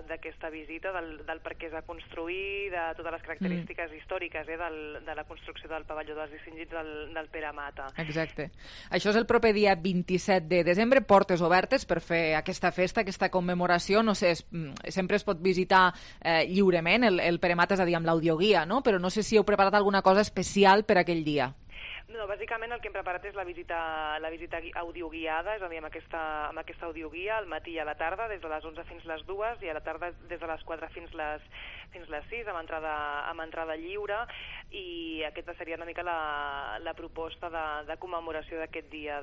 d'aquesta visita, del per què es va construir, de totes les característiques històriques de la construcció del pavelló dels distingits del Pere Mata. Exacte. Això és el proper dia 27 de desembre, portes obertes per fer aquesta festa, aquesta commemoració. No sé, sempre es pot visitar lliurement el Pere Mata, és a dir, amb l'audioguia, no? Però no sé si heu preparat alguna cosa especial per aquell dia. No, bàsicament el que hem preparat és la visita audioguiada, és a dir, amb aquesta audioguia al matí i a la tarda, des de les 11 fins les 2, i a la tarda des de les 4 fins les 6, amb entrada lliure, i aquesta seria una mica la proposta de commemoració d'aquest dia,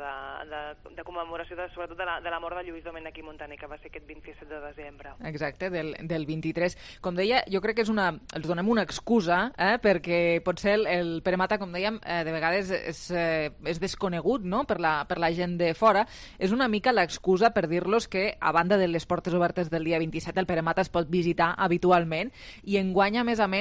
de commemoració sobretot de la mort de Lluís Domènech i Montaner, que va ser aquest 27 de desembre. Exacte, del 23. Com deia, jo crec que els donem una excusa, perquè potser el Pere Mata, com dèiem, de vegades és desconegut, no?, per la gent de fora. És una mica l'excusa per dir-los que, a banda de les portes obertes del dia 27, el Pere Mata es pot visitar habitualment, i enguany, a més, amb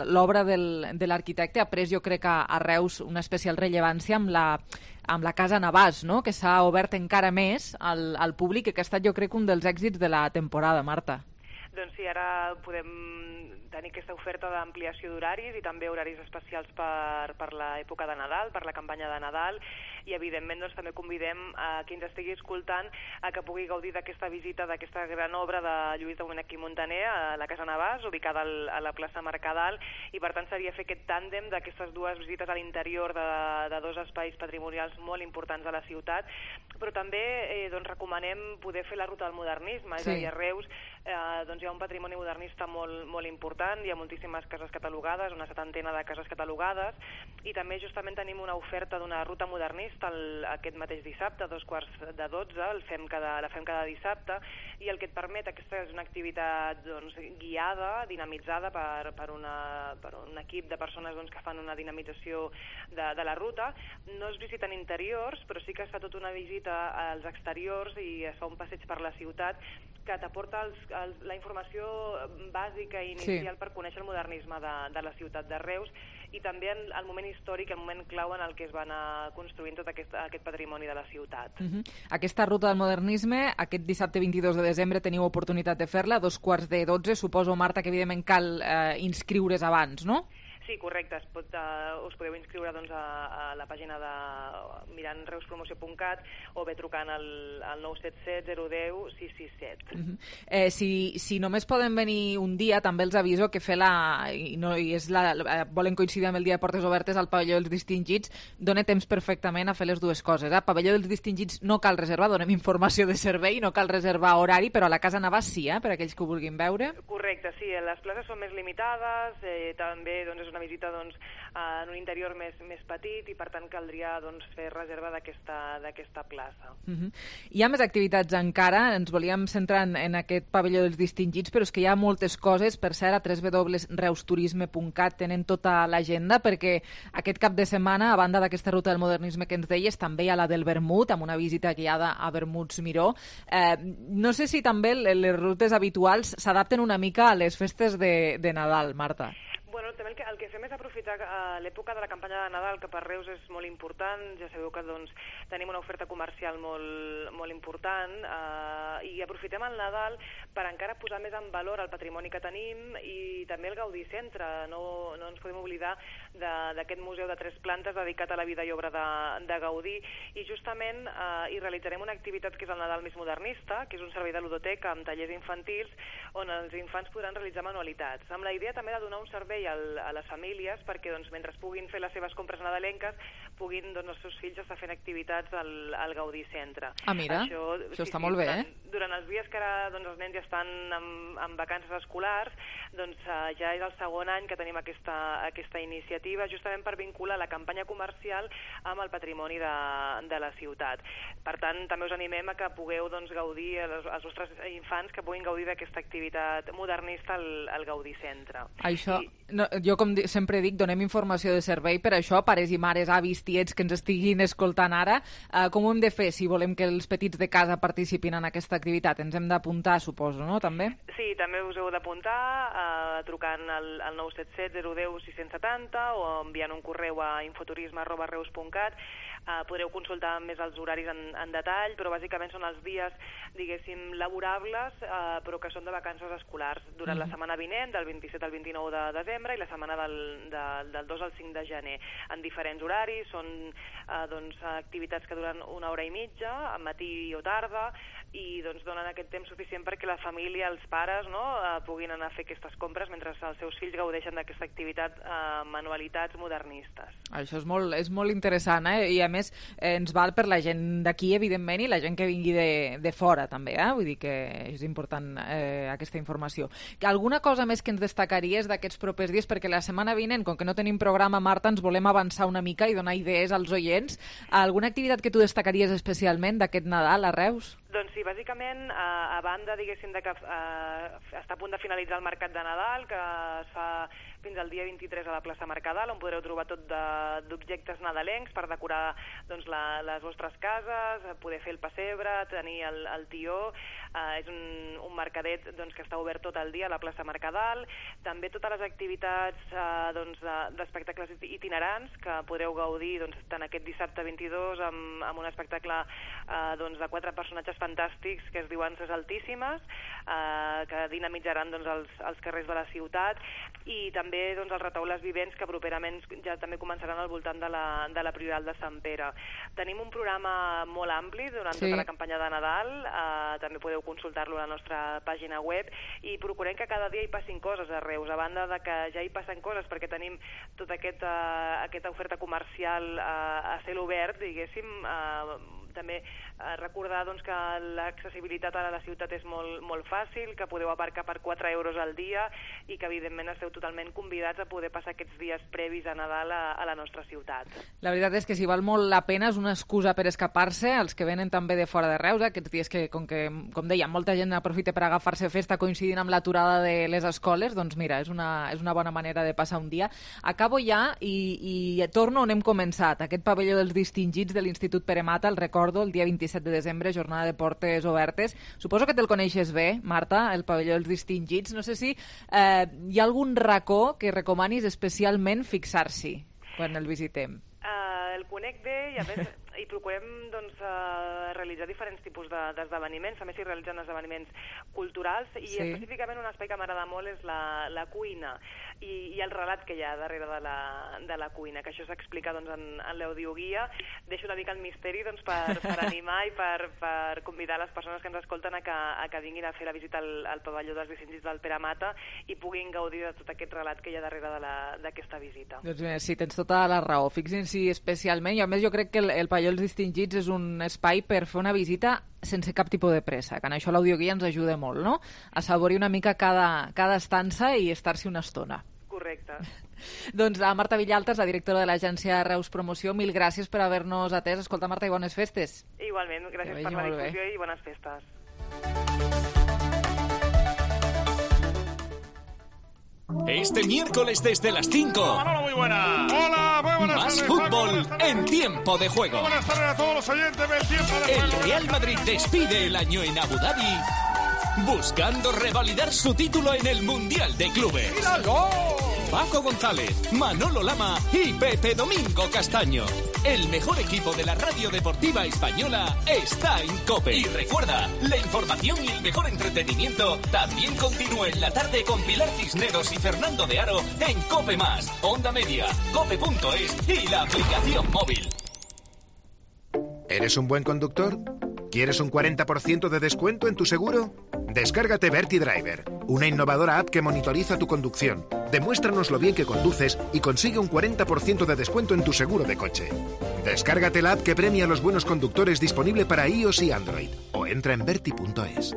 l'obra de l'arquitecte ha pres, jo crec, a Reus una especial rellevància amb la Casa Navàs, no?, que s'ha obert encara més al públic, que ha estat, jo crec, un dels èxits de la temporada, Marta. Doncs sí, ara podem tenir aquesta oferta d'ampliació d'horaris i també horaris especials per l'època de Nadal, per la campanya de Nadal, i evidentment doncs, també convidem a qui ens estigui escoltant a que pugui gaudir d'aquesta visita, d'aquesta gran obra de Lluís Domènech i Montaner a la Casa Navàs, ubicada a la plaça Mercadal, i per tant seria fer aquest tàndem d'aquestes dues visites a l'interior de dos espais patrimonials molt importants de la ciutat, però també recomanem poder fer la ruta del modernisme, és a dir, a Reus hi ha un patrimoni modernista molt important, hi ha moltíssimes cases catalogades, una 70 de cases catalogades, i també justament tenim una oferta d'una ruta modernista aquest mateix dissabte, a 11:45, la fem cada dissabte, i el que et permet, aquesta és una activitat guiada, dinamitzada per un equip de persones que fan una dinamització de la ruta. No es visiten interiors, però sí que es fa tota una visita als exteriors i es fa un passeig per la ciutat que t'aporta la informació bàsica i inicial per conèixer el modernisme de la ciutat de Reus, i també el moment històric, el moment clau en el que es va anar construint tot aquest patrimoni de la ciutat. Aquesta ruta del modernisme, aquest dissabte 22 de desembre teniu oportunitat de fer-la, a 11:45. Suposo, Marta, que evidentment cal inscriure's abans, no? Sí, correcte. Us podeu inscriure a la pàgina mirant reuspromoció.cat o bé trucant al 977 010 667. Si només poden venir un dia, també els aviso que volen coincidir amb el dia de portes obertes al pavelló dels distingits, dona temps perfectament a fer les dues coses. Al pavelló dels distingits no cal reservar, donem informació de servei, no cal reservar horari, però a la Casa Navàs sí, per aquells que ho vulguin veure. Correcte, sí, les places són més limitades, també és una visita en un interior més petit, i per tant caldria fer reserva d'aquesta plaça. Hi ha més activitats encara, ens volíem centrar en aquest pavelló dels distingits, però és que hi ha moltes coses. Per cert, a www.reusturisme.cat tenen tota l'agenda, perquè aquest cap de setmana, a banda d'aquesta ruta del modernisme que ens deies, també hi ha la del vermut, amb una visita guiada a Vermuts Miró. No sé si també les rutes habituals s'adapten una mica a les festes de Nadal, Marta. Bueno, també el que fem és aprofitar l'època de la campanya de Nadal, que per Reus és molt important. Ja sabeu que tenim una oferta comercial molt important, i aprofitem el Nadal per encara posar més en valor el patrimoni que tenim i també el Gaudí Centre. No ens podem oblidar d'aquest museu de 3 plantes dedicat a la vida i obra de Gaudí, i justament hi realitzarem una activitat que és el Nadal més modernista, que és un servei de ludoteca amb tallers infantils on els infants podran realitzar manualitats, amb la idea també de donar un servei a les famílies perquè mentre puguin fer les seves compres nadalenques puguin els seus fills estar fent activitats al Gaudí Centre. Mira, això està molt bé, Durant els dies que ara els nens ja estan en vacances escolars, ja és el segon any que tenim aquesta iniciativa, justament per vincular la campanya comercial amb el patrimoni de la ciutat. Per tant, també us animem a que pugueu gaudir, els vostres infants que puguin gaudir d'aquesta activitat modernista al Gaudí Centre. Això No, jo, com sempre dic, donem informació de servei per això, pares i mares, avis, tiets que ens estiguin escoltant ara. Com ho hem de fer si volem que els petits de casa participin en aquesta activitat? Ens hem d'apuntar, suposo, no?, també? Sí, també us heu d'apuntar trucant al 977 010 670 o enviant un correu a infoturisme@reus.cat. Podreu consultar més els horaris en detall, però bàsicament són els dies, diguéssim, laborables, però que són de vacances escolars, durant la setmana vinent, del 27 al 29 de desembre, i la setmana del 2 al 5 de gener, en diferents horaris. Són activitats que duren 1 hora i mitja, al matí o tarda, i donen aquest temps suficient perquè la família, els pares, puguin anar a fer aquestes compres mentre els seus fills gaudeixen d'aquesta activitat, manualitats modernistes. Això és molt interessant, i a més ens val per la gent d'aquí, evidentment, i la gent que vingui de fora també, vull dir que és important aquesta informació. Alguna cosa més que ens destacaries d'aquests propers dies? Perquè la setmana vinent, com que no tenim programa, Marta, ens volem avançar una mica i donar idees als oients. Alguna activitat que tu destacaries especialment d'aquest Nadal a Reus? Doncs sí, bàsicament, a banda, diguéssim, de que està a punt de finalitzar el Mercat de Nadal, que es fa fins al dia 23 a la plaça Mercadal, on podreu trobar tot d'objectes nadalencs per decorar les vostres cases, poder fer el pessebre, tenir el tió. És un mercadet que està obert tot el dia a la plaça Mercadal. També totes les activitats d'espectacles itinerants que podreu gaudir tant aquest dissabte 22 amb un espectacle de 4 personatges fantàstics que es diuen Ses Altíssimes, que dinamitzaran els carrers de la ciutat, i també els retaules vivents que properament ja també començaran al voltant de la Prioral de Sant Pere. Tenim un programa molt ampli durant tota la campanya de Nadal, també podeu consultar-lo a la nostra pàgina web, i procurem que cada dia hi passin coses a Reus, a banda de que ja hi passen coses perquè tenim tota aquesta oferta comercial a cel obert, diguéssim. També recordar que l'accessibilitat a la ciutat és molt fàcil, que podeu aparcar per 4 euros al dia i que evidentment esteu totalment convidats a poder passar aquests dies previs a Nadal a la nostra ciutat. La veritat és que si val molt la pena, és una excusa per escapar-se, els que venen també de fora de Reus, aquests dies que, com dèiem, molta gent aprofita per agafar-se festa coincidint amb l'aturada de les escoles, doncs mira, és una bona manera de passar un dia. Acabo ja i torno on hem començat, aquest pavelló dels distingits de l'Institut Pere Mata, el recordo, el dia 27 de desembre, jornada de portes obertes. Suposo que te'l coneixes bé, Marta, el pavelló dels distingits. No sé si hi ha algun racó que recomanis especialment fixar-s'hi quan el visitem. El conec bé i a més i procurem realitzar diferents tipus d'esdeveniments, també s'hi realitzen esdeveniments culturals, i específicament un espai que m'agrada molt és la cuina i el relat que hi ha darrere de la cuina, que això s'explica en l'audioguia. Deixo una mica el misteri per animar i per convidar les persones que ens escolten a que vinguin a fer la visita al pavelló dels distingits del Pere Mata i puguin gaudir de tot aquest relat que hi ha darrere d'aquesta visita. Doncs bé, sí, tens tota la raó. Fixin-s'hi especialment, i a més jo crec que el pavelló dels distingits és un espai per fer una visita sense cap tipus de pressa, que en això l'audioguia ens ajuda molt, no? A saborir una mica cada estança i estar-s'hi una estona. Correcte. Doncs la Marta Villaltas, la directora de l'agència Reus Promoció, mil gràcies per haver-nos atès. Escolta, Marta, i bones festes. Igualment, gràcies per la difusió i bones festes. Este miércoles desde las 5. Manolo, muy buena. Hola, muy buenas Más tardes, fútbol en Tiempo de Juego. Buenas tardes a todos los oyentes del Tiempo de Juego. El Real Madrid despide el año en Abu Dhabi buscando revalidar su título en el Mundial de Clubes. ¡Míralo! Paco González, Manolo Lama y Pepe Domingo Castaño. El mejor equipo de la radio deportiva española está en COPE. Y recuerda, la información y el mejor entretenimiento también continúa en la tarde con Pilar Cisneros y Fernando de Aro en COPE+, Onda Media, cope.es y la aplicación móvil. ¿Eres un buen conductor? ¿Quieres un 40% de descuento en tu seguro? Descárgate VertiDriver, una innovadora app que monitoriza tu conducción. Demuéstranos lo bien que conduces y consigue un 40% de descuento en tu seguro de coche. Descárgate la app que premia a los buenos conductores, disponible para iOS y Android. O entra en verti.es.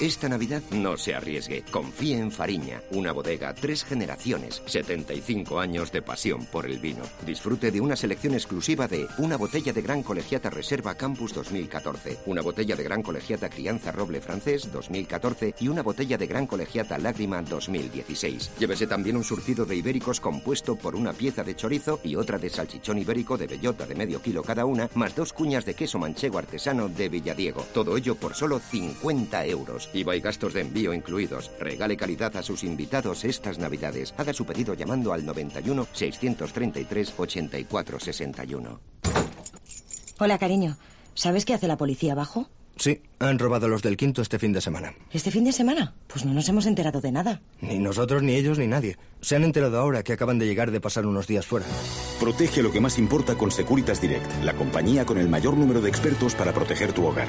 Esta Navidad no se arriesgue. Confíe en Fariña, una bodega, 3 generaciones, 75 años de pasión por el vino. Disfrute de una selección exclusiva de una botella de Gran Colegiata Reserva Campus 2014, una botella de Gran Colegiata Crianza Roble Francés 2014 y una botella de Gran Colegiata Lágrima 2016. Llévese también un surtido de ibéricos compuesto por una pieza de chorizo y otra de salchichón ibérico de bellota de medio kilo cada una, más 2 cuñas de queso manchego artesano de Villadiego. Todo ello por solo 50 euros. IVA y gastos de envío incluidos. Regale calidad a sus invitados estas Navidades. Haga su pedido llamando al 91 633 84 61. Hola, cariño. ¿Sabes qué hace la policía abajo? Sí, han robado los del Quinto este fin de semana. ¿Este fin de semana? Pues no nos hemos enterado de nada. Ni nosotros, ni ellos, ni nadie. Se han enterado ahora que acaban de llegar de pasar unos días fuera. Protege lo que más importa con Securitas Direct, la compañía con el mayor número de expertos para proteger tu hogar.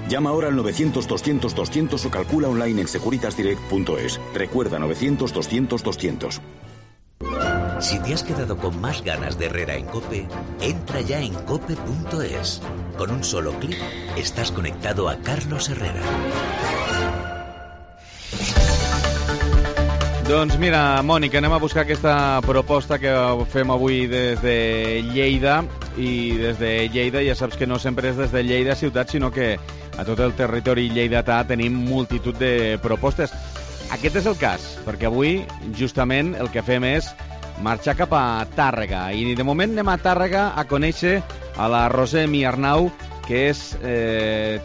Llama ahora al 900-200-200 o calcula online en securitasdirect.es. Recuerda, 900-200-200. Si te has quedado con más ganas de Herrera en COPE, entra ya en cope.es. Con un solo clic estás conectado a Carlos Herrera. Doncs mira, Mònica, anem a buscar aquesta proposta que fem avui des de Lleida, i des de Lleida ja saps que no sempre és des de Lleida ciutat, sinó que a tot el territori lleidatà tenim multitud de propostes. Aquest és el cas, perquè avui justament el que fem és marxar cap a Tàrrega, i de moment anem a Tàrrega a conèixer a la Roser Miarnau, que és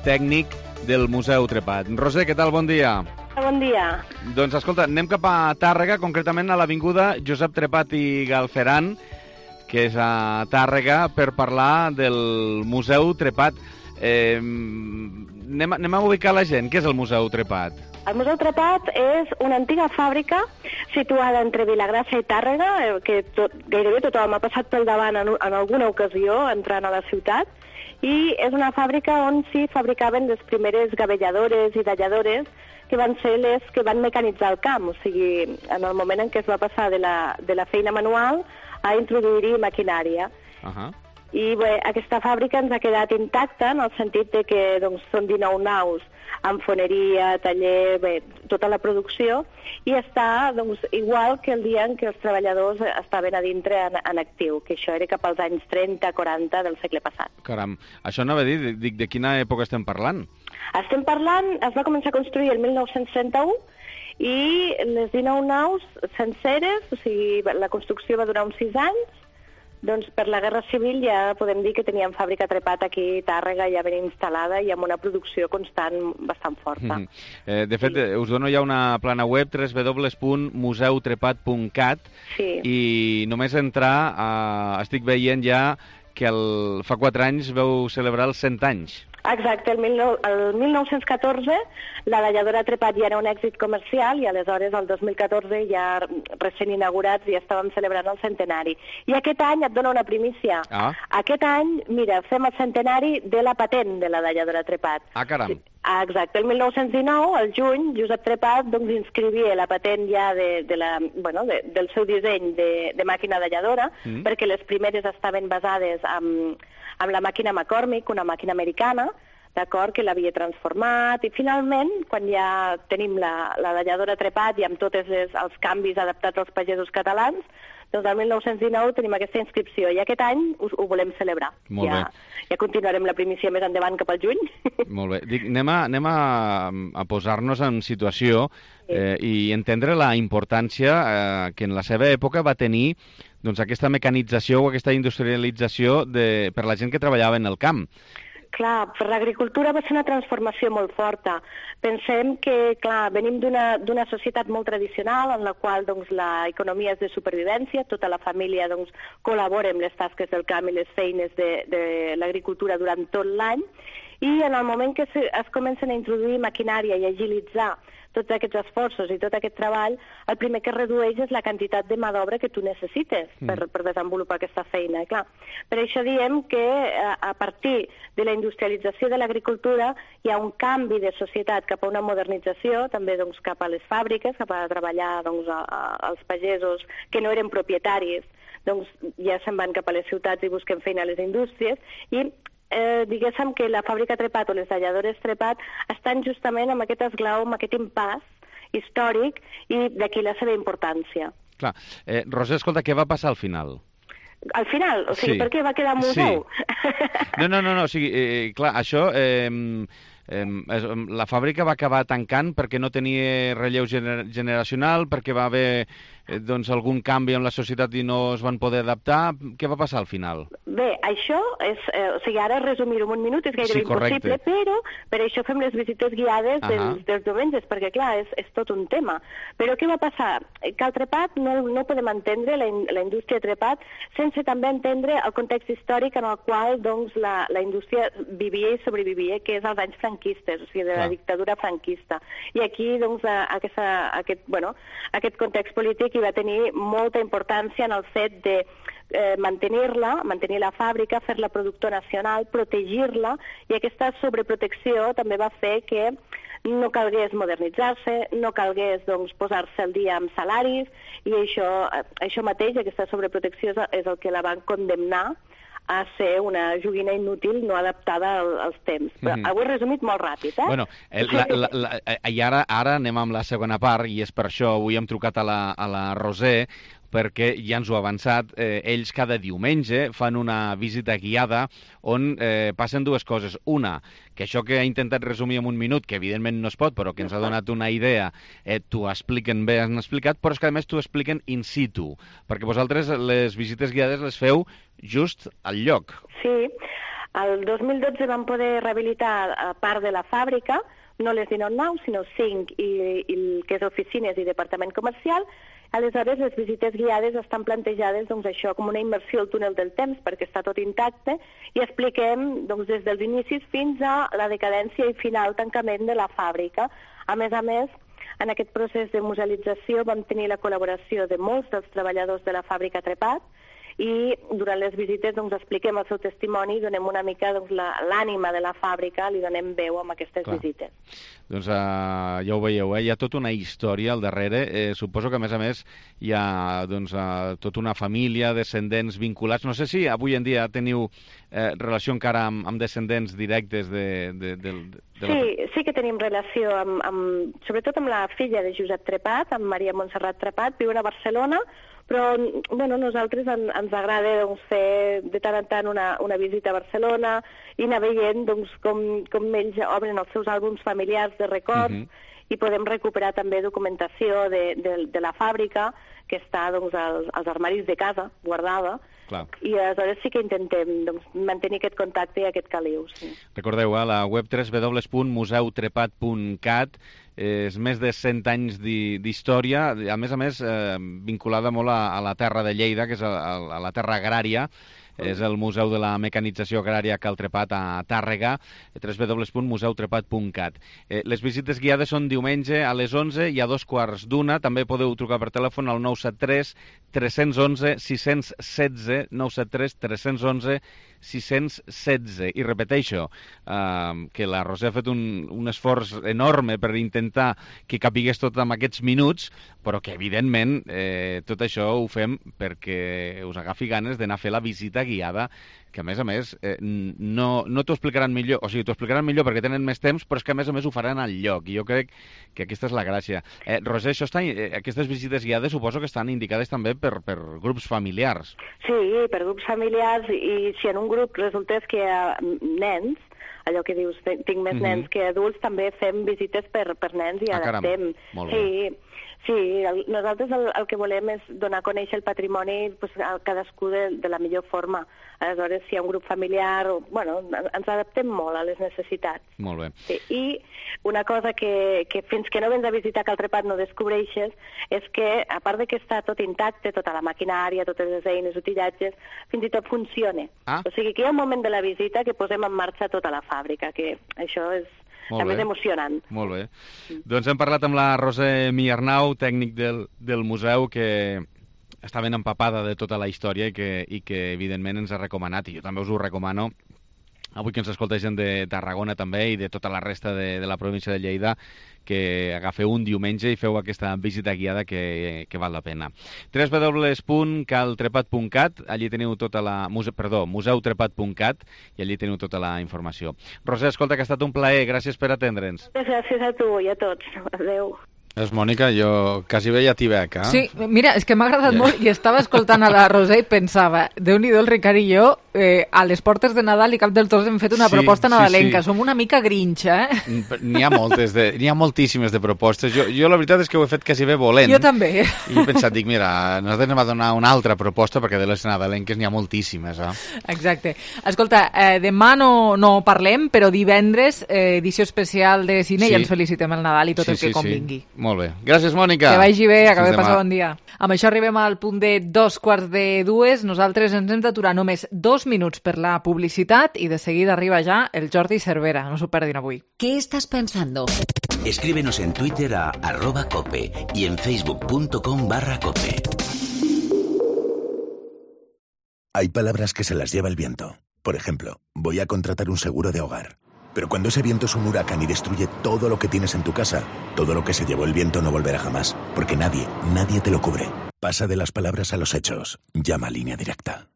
tècnic del Museu Trepat. Roser, què tal? Bon dia. Bon dia. Doncs escolta, anem cap a Tàrrega, concretament a l'avinguda Josep Trepat i Galceran, que és a Tàrrega, per parlar del Museu Trepat. Anem a ubicar la gent. Què és el Museu Trepat? El Museu Trepat és una antiga fàbrica situada entre Vilagrassa i Tàrrega, que gairebé tothom ha passat pel davant en alguna ocasió entrant a la ciutat, i és una fàbrica on s'hi fabricaven les primeres gavelladores i talladores, que van ser les que van mecanitzar el camp, o sigui, en el moment en què es va passar de la feina manual a introduir-hi maquinària. I bé, aquesta fàbrica ens ha quedat intacta en el sentit de que doncs, són 19 naus amb foneria, taller, bé, tota la producció, i està doncs, igual que el dia en què els treballadors estaven a dintre en actiu, que això era cap als anys 30-40 del segle passat. Caram, això anava a dir, dic, de quina època estem parlant? Estem parlant, es va començar a construir el 1931, i les 19 naus senceres, o sigui, la construcció va durar uns 6 anys. Doncs per la Guerra Civil ja podem dir que teníem fàbrica Trepat aquí a Tàrrega ja ben instal·lada i amb una producció constant bastant forta. De fet, us dono ja una plana web, www.museutrepat.cat, i només entrar, estic veient ja que fa 4 anys veu celebrar els 100 anys. Exacte, el 1914 la talladora Trepat ja era un èxit comercial i aleshores el 2014 ja recent inaugurats ja estàvem celebrant el centenari. I aquest any et dono una primícia. Aquest any, mira, fem el centenari de la patent de la talladora Trepat. Caram. Exacte, el 1919, al juny, Josep Trepat doncs, inscrivia la patent ja del seu disseny de màquina talladora, perquè les primeres estaven basades amb la màquina McCormick, una màquina americana, d'acord, que l'havia transformat, i finalment, quan ja tenim la talladora Trepat i amb tots els canvis adaptats als pagesos catalans, doncs el 1919 tenim aquesta inscripció, i aquest any ho volem celebrar. Molt bé. Ja continuarem la primícia més endavant cap al juny. Molt bé. Dic, anem a posar-nos en situació i entendre la importància que en la seva època va tenir doncs, aquesta mecanització o aquesta industrialització per la gent que treballava en el camp. Clar, per l'agricultura va ser una transformació molt forta. Pensem que, clar, venim d'una societat molt tradicional en la qual doncs, l'economia és de supervivència, tota la família doncs, col·labora amb les tasques del camp i les feines de l'agricultura durant tot l'any, i en el moment que es comencen a introduir maquinària i agilitzar tots aquests esforços i tot aquest treball, el primer que redueix és la quantitat de mà d'obra que tu necessites per desenvolupar aquesta feina. Clar, per això diem que a partir de la industrialització de l'agricultura hi ha un canvi de societat cap a una modernització, també doncs, cap a les fàbriques, cap a treballar doncs, als pagesos que no eren propietaris, doncs ja se'n van cap a les ciutats i busquen feina a les indústries, i diguéssim que la fàbrica Trepat o les talladores Trepat estan justament amb aquest esglau, amb aquest impàs històric, i d'aquí la seva importància. Clar. Roser, escolta, què va passar al final? Al final? O sigui, per què va quedar museu? Sí. No, o sigui, clar, això... la fàbrica va acabar tancant perquè no tenia relleu generacional, perquè va haver algun canvi en la societat i no es van poder adaptar. Què va passar al final? Bé, això és... o sigui, ara resumir-ho en un minut és gairebé impossible, però per això fem les visites guiades dels diumenges, perquè, clar, és tot un tema. Però què va passar? Que el trepat no podem entendre, la indústria trepat, sense també entendre el context històric en el qual doncs, la indústria vivia i sobrevivia, que és els anys franquistes, o sigui, de la dictadura franquista. I aquí, doncs, aquest context polític hi va tenir molta importància en el fet de mantenir la fàbrica, fer-la productor nacional, protegir-la, i aquesta sobreprotecció també va fer que no calgués modernitzar-se, no calgués doncs, posar-se al dia amb salaris, i això mateix, aquesta sobreprotecció, és el que la van condemnar a ser una joguina inútil no adaptada als temps. Però ho he resumit molt ràpid, eh? Bueno, i ara anem amb la segona part, i és per això avui hem trucat a la Roser, perquè ja ens ho ha avançat, ells cada diumenge fan una visita guiada on passen dues coses. Una, que això que he intentat resumir en un minut, que evidentment no es pot, però que ens ha donat una idea, t'ho expliquen bé, han explicat, però és que a més t'ho expliquen in situ, perquè vosaltres les visites guiades les feu just al lloc. Sí, el 2012 vam poder rehabilitar part de la fàbrica, no les 19 naus, sinó 5, i el que és oficines i departament comercial. Aleshores, les visites guiades estan plantejades doncs, això com una immersió al túnel del temps, perquè està tot intacte, i expliquem doncs, des dels inicis fins a la decadència i final tancament de la fàbrica. A més, en aquest procés de musealització vam tenir la col·laboració de molts dels treballadors de la fàbrica Trepat, i durant les visites doncs, expliquem el seu testimoni i donem una mica doncs, l'ànima de la fàbrica, li donem veu amb aquestes visites. Doncs ja ho veieu, hi ha tota una història al darrere. Suposo que, a més, hi ha tota una família, descendents vinculats. No sé si avui en dia teniu relació encara amb descendents directes de Sí que tenim relació, sobretot amb la filla de Josep Trepat, amb Maria Montserrat Trepat, viuen a Barcelona, però nosaltres ens agrada fer de tant en tant una visita a Barcelona i anar veient com ells obren els seus àlbums familiars de records, i podem recuperar també documentació de la fàbrica que està als armaris de casa, guardada. Clar. I aleshores sí que intentem mantenir aquest contacte i aquest caliu. Sí. Recordeu, a la web www.museutrepat.cat és més de 100 anys d'història, a més, vinculada molt a la terra de Lleida, que és a la terra agrària. És el Museu de la Mecanització Agrària Cal Trepat a Tàrrega, www.museutrepat.cat. Les visites guiades són diumenge a les 11 i a 2:15. També podeu trucar per telèfon al 973 311 616, 973 311 616. I repeteixo que la Roser ha fet un esforç enorme per intentar que capigués tot en aquests minuts, però que evidentment tot això ho fem perquè us agafi ganes d'anar a fer la visita guiada, que a més no t'ho explicaran millor, o sigui, t'ho explicaran millor perquè tenen més temps, però és que a més ho faran al lloc, i jo crec que aquesta és la gràcia. Roser, aquestes visites guiades suposo que estan indicades també per grups familiars. Sí, per grups familiars, i si en un grup resultés que hi ha nens, allò que dius, tinc més nens que adults, també fem visites per nens i adaptem. Molt bé. Sí, nosaltres el que volem és donar a conèixer el patrimoni a cadascú de la millor forma. Aleshores, si hi ha un grup familiar, ens adaptem molt a les necessitats. Molt bé. Sí, i una cosa que fins que no vens a visitar Cal Trepat no descobreixes és que, a part de que està tot intacte, tota la maquinària, totes les eines, utillatges, fins i tot funciona. O sigui que hi ha un moment de la visita que posem en marxa tota la fàbrica, que això és també és emocionant. Molt bé. Doncs hem parlat amb la Roser Miarnau, tècnic del museu, que està ben empapada de tota la història i que evidentment ens ha recomanat, i jo també us ho recomano, avui que ens escolta gent de Tarragona també i de tota la resta de la província de Lleida, que agafeu un diumenge i feu aquesta visita guiada que val la pena. www.caltrepat.cat, allí teniu tota la... museutrepat.cat, i allí teniu tota la informació. Roser, escolta, que ha estat un plaer, gràcies per atendre'ns. Gràcies a tu i a tots. Adéu. És Mònica, jo quasi veia Tibec, eh? Sí, mira, és que m'ha agradat molt i estava escoltant a la Roser i pensava, Déu-n'hi-do, el Ricard i jo, a les portes de Nadal i cap dels dos hem fet una proposta nadalenca. Som una mica grinch, eh? N'hi ha moltíssimes de propostes. Jo la veritat és que ho he fet quasi bé volent. Jo també. I he pensat, dic, mira, nosaltres anem a donar una altra proposta perquè de les nadalenques n'hi ha moltíssimes, eh? Exacte. Escolta, demà no parlem, però divendres, edició especial de cine, i ens felicitem el Nadal i tot el que convingui. Molt bé. Gràcies, Mònica. Que vagi bé, acabem de passar bon dia. Amb això arribem al punt de 2:45. Nosaltres ens hem d'aturar només 2 minuts per la publicitat i de seguida arriba ja el Jordi Cervera. No s'ho perdin avui. ¿Qué estás pensando? Escríbenos en Twitter a @cope y en facebook.com/cope. Hay palabras que se las lleva el viento. Por ejemplo, voy a contratar un seguro de hogar. Pero cuando ese viento es un huracán y destruye todo lo que tienes en tu casa, todo lo que se llevó el viento no volverá jamás, porque nadie te lo cubre. Pasa de las palabras a los hechos. Llama a Línea Directa.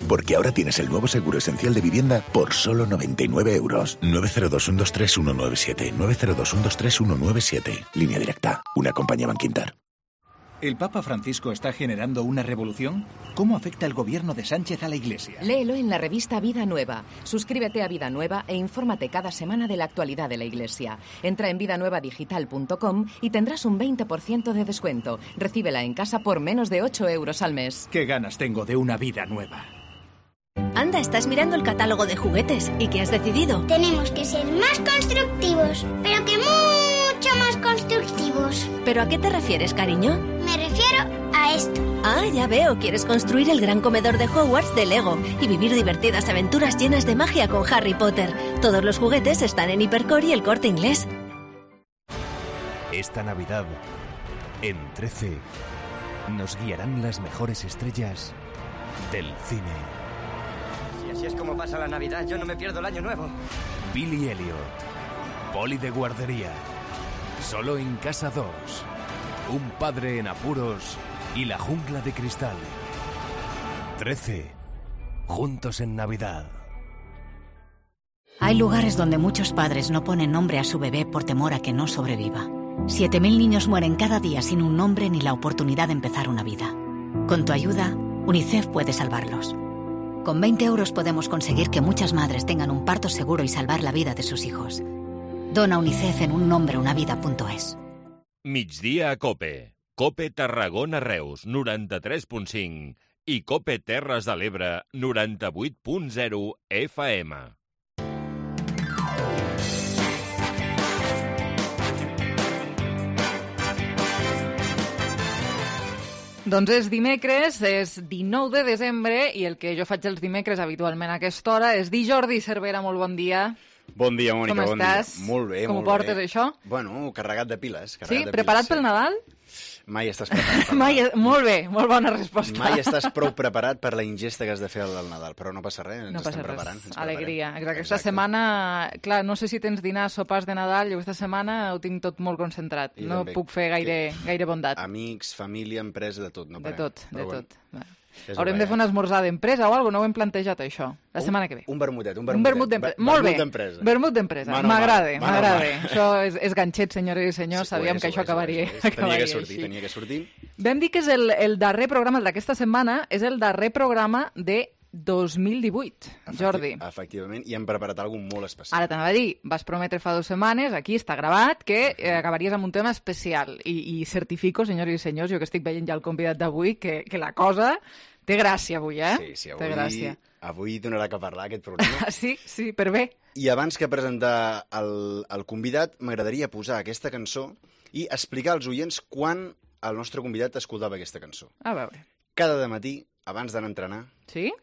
Porque ahora tienes el nuevo seguro esencial de vivienda por solo 99 euros. 902-123-197. 902-123-197. Línea Directa. Una compañía Banquinter. ¿El Papa Francisco está generando una revolución? ¿Cómo afecta el gobierno de Sánchez a la Iglesia? Léelo en la revista Vida Nueva. Suscríbete a Vida Nueva e infórmate cada semana de la actualidad de la Iglesia. Entra en vidanuevadigital.com y tendrás un 20% de descuento. Recíbela en casa por menos de 8 euros al mes. ¡Qué ganas tengo de una vida nueva! Anda, estás mirando el catálogo de juguetes. ¿Y qué has decidido? Tenemos que ser más constructivos, pero que mucho más constructivos. ¿Pero a qué te refieres, cariño? Me refiero a esto. Ah, ya veo. Quieres construir el gran comedor de Hogwarts de Lego y vivir divertidas aventuras llenas de magia con Harry Potter. Todos los juguetes están en Hipercore y El Corte Inglés. Esta Navidad, en 13, nos guiarán las mejores estrellas del cine. Así es como pasa la Navidad, yo no me pierdo el año nuevo. Billy Elliot, Poli de guardería, Solo en Casa 2, Un padre en apuros y La jungla de cristal. 13, juntos en Navidad. Hay lugares donde muchos padres no ponen nombre a su bebé por temor a que no sobreviva. 7.000 niños mueren cada día sin un nombre ni la oportunidad de empezar una vida. Con tu ayuda, UNICEF puede salvarlos. Con 20 euros podemos conseguir que muchas madres tengan un parto seguro y salvar la vida de sus hijos. Dona UNICEF en unnombreunavidad.es. Migdia a Cope. Cope Tarragona Reus, 93.5 i Cope Terres de l'Ebre, 98.0 FM. Doncs és dimecres, és 19 de desembre, i el que jo faig els dimecres habitualment a aquesta hora és dir Jordi Cervera, molt bon dia. Bon dia, Mònica, Com estàs? Dia. Molt bé, Com molt ho portes, bé. això? Bueno, carregat de piles. Sí? Preparat pel Nadal? Mai estàs preparat. Molt bé, molt bona resposta. Mai estàs prou preparat per la ingesta que has de fer al Nadal, però no passa res, ens estem preparant. Alegria. Exacte. Aquesta setmana, clar, no sé si tens dinars, sopars de Nadal, jo aquesta setmana ho tinc tot molt concentrat. No puc fer gaire bondat. Amics, família, empresa, de tot. No de tot. Haurem de fer un esmorzar d'empresa o alguna cosa, no ho hem plantejat, això, la setmana que ve. Un vermutet. Molt bé, vermut d'empresa. M'agrada. Això és ganxet, senyores i senyors, sabíem que això acabaria així. Tenia que sortir. Vam dir que és el darrer programa, el d'aquesta setmana, és el darrer programa de 2018, Jordi. Efectivament, i hem preparat alguna cosa molt especial. Ara t'anava a dir, vas prometre fa 2 setmanes, aquí està gravat, que acabaries amb un tema especial. I certifico, senyors i senyors, jo que estic veient ja el convidat d'avui, que la cosa té gràcia avui, Sí, avui donarà que parlar aquest programa. Sí, per bé. I abans que presentar el convidat, m'agradaria posar aquesta cançó i explicar als oients quan el nostre convidat escoltava aquesta cançó. A veure. Cada dematí, abans d'anar a entrenar, sí?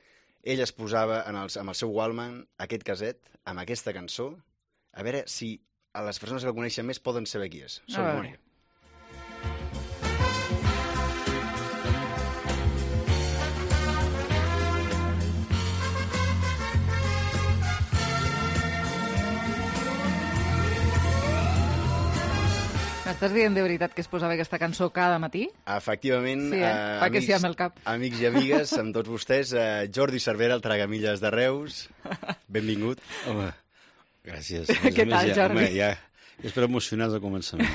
Ell es posava amb el seu Walkman aquest caset, amb aquesta cançó, a veure si a les persones que el coneixen més poden saber qui és. Som Mònica. M'estàs dient de veritat que es posava aquesta cançó cada matí? Efectivament, Sí, fa que sí amb el cap. Amics i amigues, amb tots vostès, Jordi Cervera, el Tragamilles de Reus, benvingut. Home, gràcies. Què tal, Jordi? Home, ja espero emocionats al començament.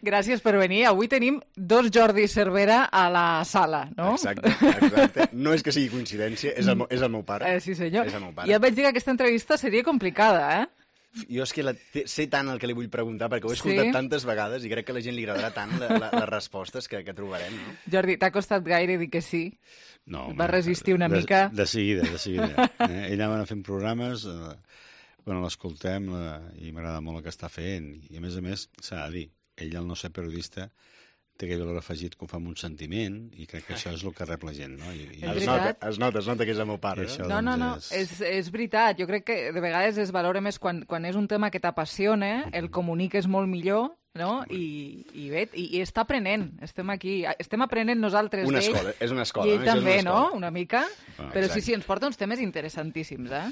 Gràcies per venir. Avui tenim dos Jordi Cervera a la sala, no? Exacte. No és que sigui coincidència, és el meu pare. Sí, senyor. És el meu pare. Ja et vaig dir que aquesta entrevista seria complicada, eh? Jo és que sé tant el que li vull preguntar, perquè ho he escoltat tantes vegades i crec que a la gent li agradarà tant les respostes que trobarem, no? Jordi, t'ha costat gaire dir que sí? No. Va resistir una mica? De seguida. Ell anava fent programes, l'escoltem i m'agrada molt el que està fent. I a més, s'ha de dir, ell, al no ser periodista, té aquell valor afegit que ho fa amb un sentiment i crec que això és el que rep la gent, no? Es nota que és el meu pare. No, és veritat. Jo crec que de vegades es valora més quan és un tema que t'apassiona, el comuniques molt millor, no? I bé, i està aprenent. Estem aquí, estem aprenent nosaltres d'ell. És una escola. I ell també, no? Una mica. Però sí, ens porta uns temes interessantíssims, eh?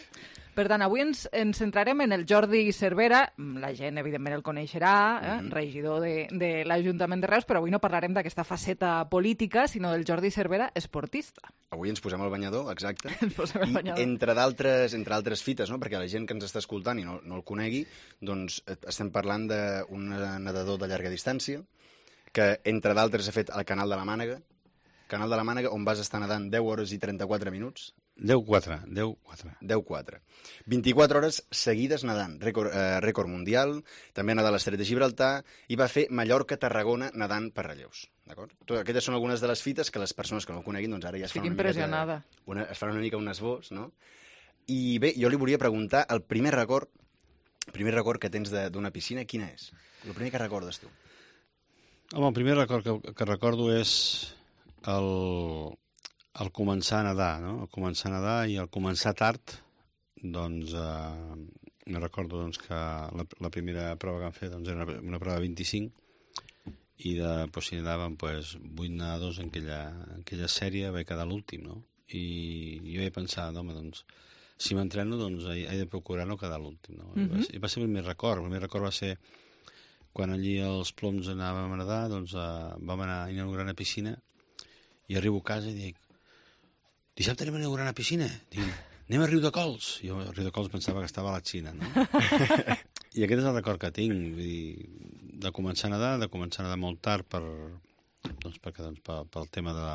Per tant, avui ens centrarem en el Jordi Cervera. La gent, evidentment, el coneixerà, regidor de l'Ajuntament de Reus, però avui no parlarem d'aquesta faceta política, sinó del Jordi Cervera esportista. Avui ens posem al banyador, exacte. Ens posem al banyador. I entre altres fites, no? Perquè la gent que ens està escoltant i no el conegui, doncs estem parlant d'un nedador de llarga distància, que entre d'altres ha fet el Canal de la Mànega, on vas estar nedant 10 hores i 34 minuts. 10-4. 24 hores seguides nedant, rècord mundial, també ha nedat a l'Estret de Gibraltar i va fer Mallorca-Tarragona nedant per relleus. D'acord? Aquestes són algunes de les fites que les persones que no ho coneguin doncs ara ja es fan una mica un esbós, no? I bé, jo li volia preguntar, el primer record que tens d'una piscina, quina és? El primer que recordes tu? Home, el primer record que recordo és el començar a nedar, no? El començar a nedar i el començar tard, doncs, me recordo doncs, que la primera prova que vam fer doncs, era una prova de 25 i si nedàvem 8 nedadors en aquella sèrie vaig quedar l'últim, no? I jo vaig pensar, home, doncs, si m'entreno, doncs, he de procurar no quedar l'últim, no? I va ser el primer record va ser quan allí als Ploms anàvem a nedar, doncs vam anar a inaugurar una piscina i arribo a casa i dic, dissabte anem a inaugurar una piscina? Dic, anem a Riu de Cols. Jo a Riu de Cols pensava que estava a la Xina, no? I aquest és el record que tinc, vull dir, de començar a nedar molt tard pel tema de...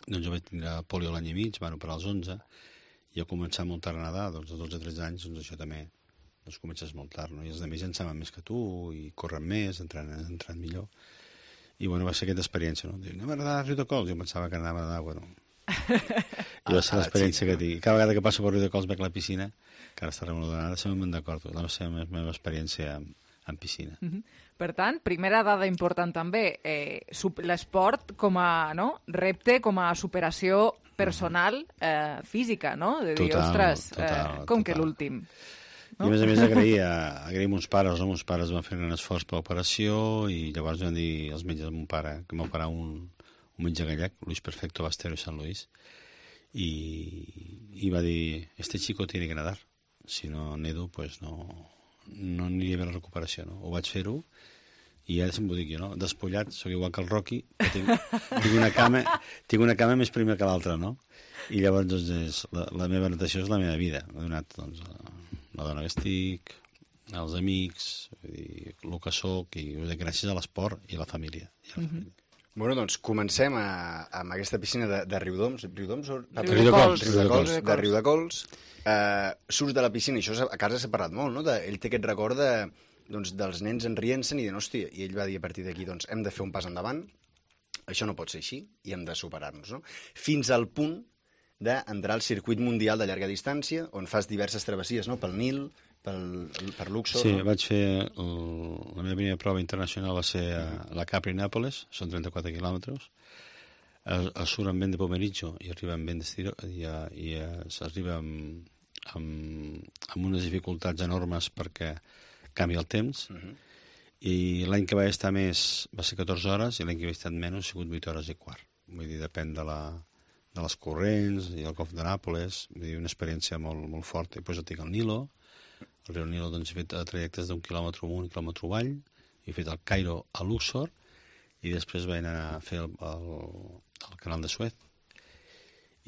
Doncs jo vaig tindre polio l'any i mig, per als 11, i a començar molt tard a nedar, doncs a 12-13 anys, doncs això també doncs comences molt tard, no? I els altres ja en saben més que tu, i corren més, entren millor. I bueno, va ser aquesta experiència, no? Diu, anem a nedar a Riu de Cols. Jo pensava que anava a nedar, bueno... I va ser l'experiència que tinc. Cada vegada que passo per Riu de Cols veig la piscina, que ara està remodelada, sempre me'n recordo. La meva experiència en piscina. Per tant, primera dada important també, l'esport com a repte, com a superació personal, física, no? De dir, ostres, com que l'últim. I a més agrair a mons pares, no? Mons pares van fer un esforç per l'operació i llavors van dir els metges de mon pare que m'operà un metge gallec, Luis Perfecto Bastero de San Luis, i va dir, este chico tiene que nadar, si no nedo, pues no aniria bé la recuperació, no? Ho vaig fer-ho, i ara se'm ho dic jo, no? Despullat, soc igual que el Rocky, que tinc una cama més prima que l'altra, no? I llavors, doncs, la meva natació és la meva vida. M'ha donat, doncs, la dona que estic, els amics, el que soc, i gràcies a l'esport i a la família. Bueno, doncs comencem amb aquesta piscina de Riudoms. Riudoms? De Riu de Cols. Surts de la piscina, i això a casa s'ha parlat molt, no? Ell té aquest record dels nens enrient-se'n i de, hòstia, i ell va dir a partir d'aquí, doncs, hem de fer un pas endavant, això no pot ser així, i hem de superar-nos, no? Fins al punt d'entrar al circuit mundial de llarga distància, on fas diverses travessies, no? Pel Nil, per Luxor. Sí, vaig fer la meva primera prova internacional va ser a la Capri-Nàpoles, són 34 quilòmetres, surt amb vent de pomeriggio i arriba amb vent d'estiró i s'arriba amb unes dificultats enormes perquè canvia el temps, i l'any que vaig estar més va ser 14 hores i l'any que vaig estar menys ha sigut 8 hores i quart. Vull dir, depèn de les corrents i el Golf de Nàpoles, vull dir, una experiència molt, molt forta. I després tinc el Nilo. Al riu Nilo doncs, he fet trajectes d'1 quilòmetre amunt i 1 quilòmetre avall, he fet el Cairo a Luxor i després vaig anar a fer el canal de Suez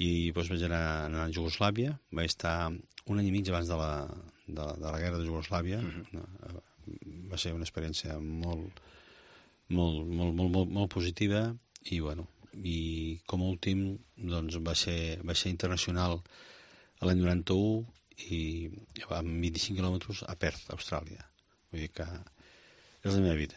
i doncs vaig anar a Jugoslàvia, vaig estar un any i mig abans de la guerra de Jugoslàvia. Va ser una experiència molt positiva i bueno, i com a últim doncs va ser internacional l'any 91 i amb 25 quilòmetres a Perth, Austràlia. Vull dir que és la meva vida.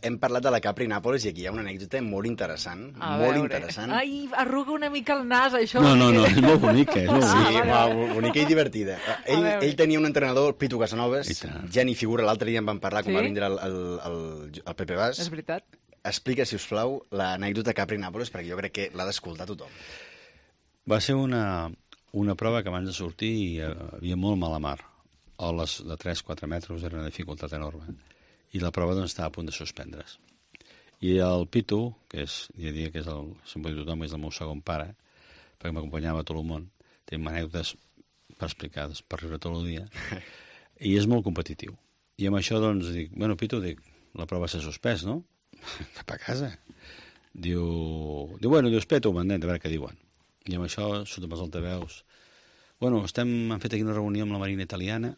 Hem parlat de la Capri-Nàpols i aquí hi ha una anècdota molt interessant. Interessant. Ai, arruga una mica el nas, això. No, és molt bonica. Sí, bonica i divertida. Ell tenia un entrenador, el Pitu Casanovas, ja ni figura, l'altre dia en vam parlar, quan va vindre el Pepe Bas. És veritat. Explica, si us plau, l'anècdota Capri-Nàpols, perquè jo crec que l'ha d'escoltar tothom. Va ser una prova que abans de sortir hi havia molt mala mar. Oles de 3-4 metres era una dificultat enorme. I la prova doncs, estava a punt de suspendre's. I el Pitu, que jo diria que sempre diu tothom, és el meu segon pare, perquè m'acompanyava a tot el món, té anècdotes per explicar, per riure tot el dia, i és molt competitiu. I amb això, doncs, dic, bueno, Pitu, la prova s'ha suspès, no? Cap a casa. Diu, espera un momentet, a veure què diuen. I amb això, sota els altaveus, bueno, hem fet aquí una reunió amb la Marina Italiana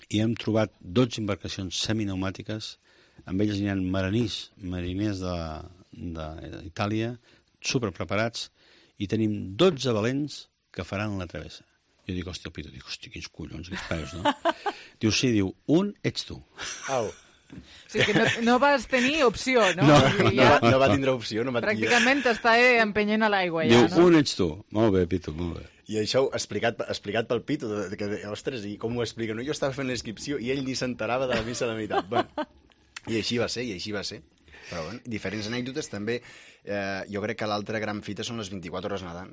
i hem trobat 12 embarcacions seminpneumàtiques, amb elles hi ha mariners d'Itàlia, superpreparats, i tenim 12 valents que faran la travessa. Jo dic, hòstia, el Pitu, quins collons, quins peus, no? Diu, sí, un ets tu. Au. O sigui que no vas tenir opció, no? No va tindre opció. Pràcticament t'està empenyent a l'aigua, ja, no? Diu, un ets tu. Molt bé, Pitu, molt bé. I això explicat pel Pitu, que, ostres, i com ho explica? No? Jo estava fent l'inscripció i ell ni s'enterava de la missa de la meitat. Bueno, i així va ser. Però bueno, diferents anècdotes també. Jo crec que l'altra gran fita són les 24 hores nedant.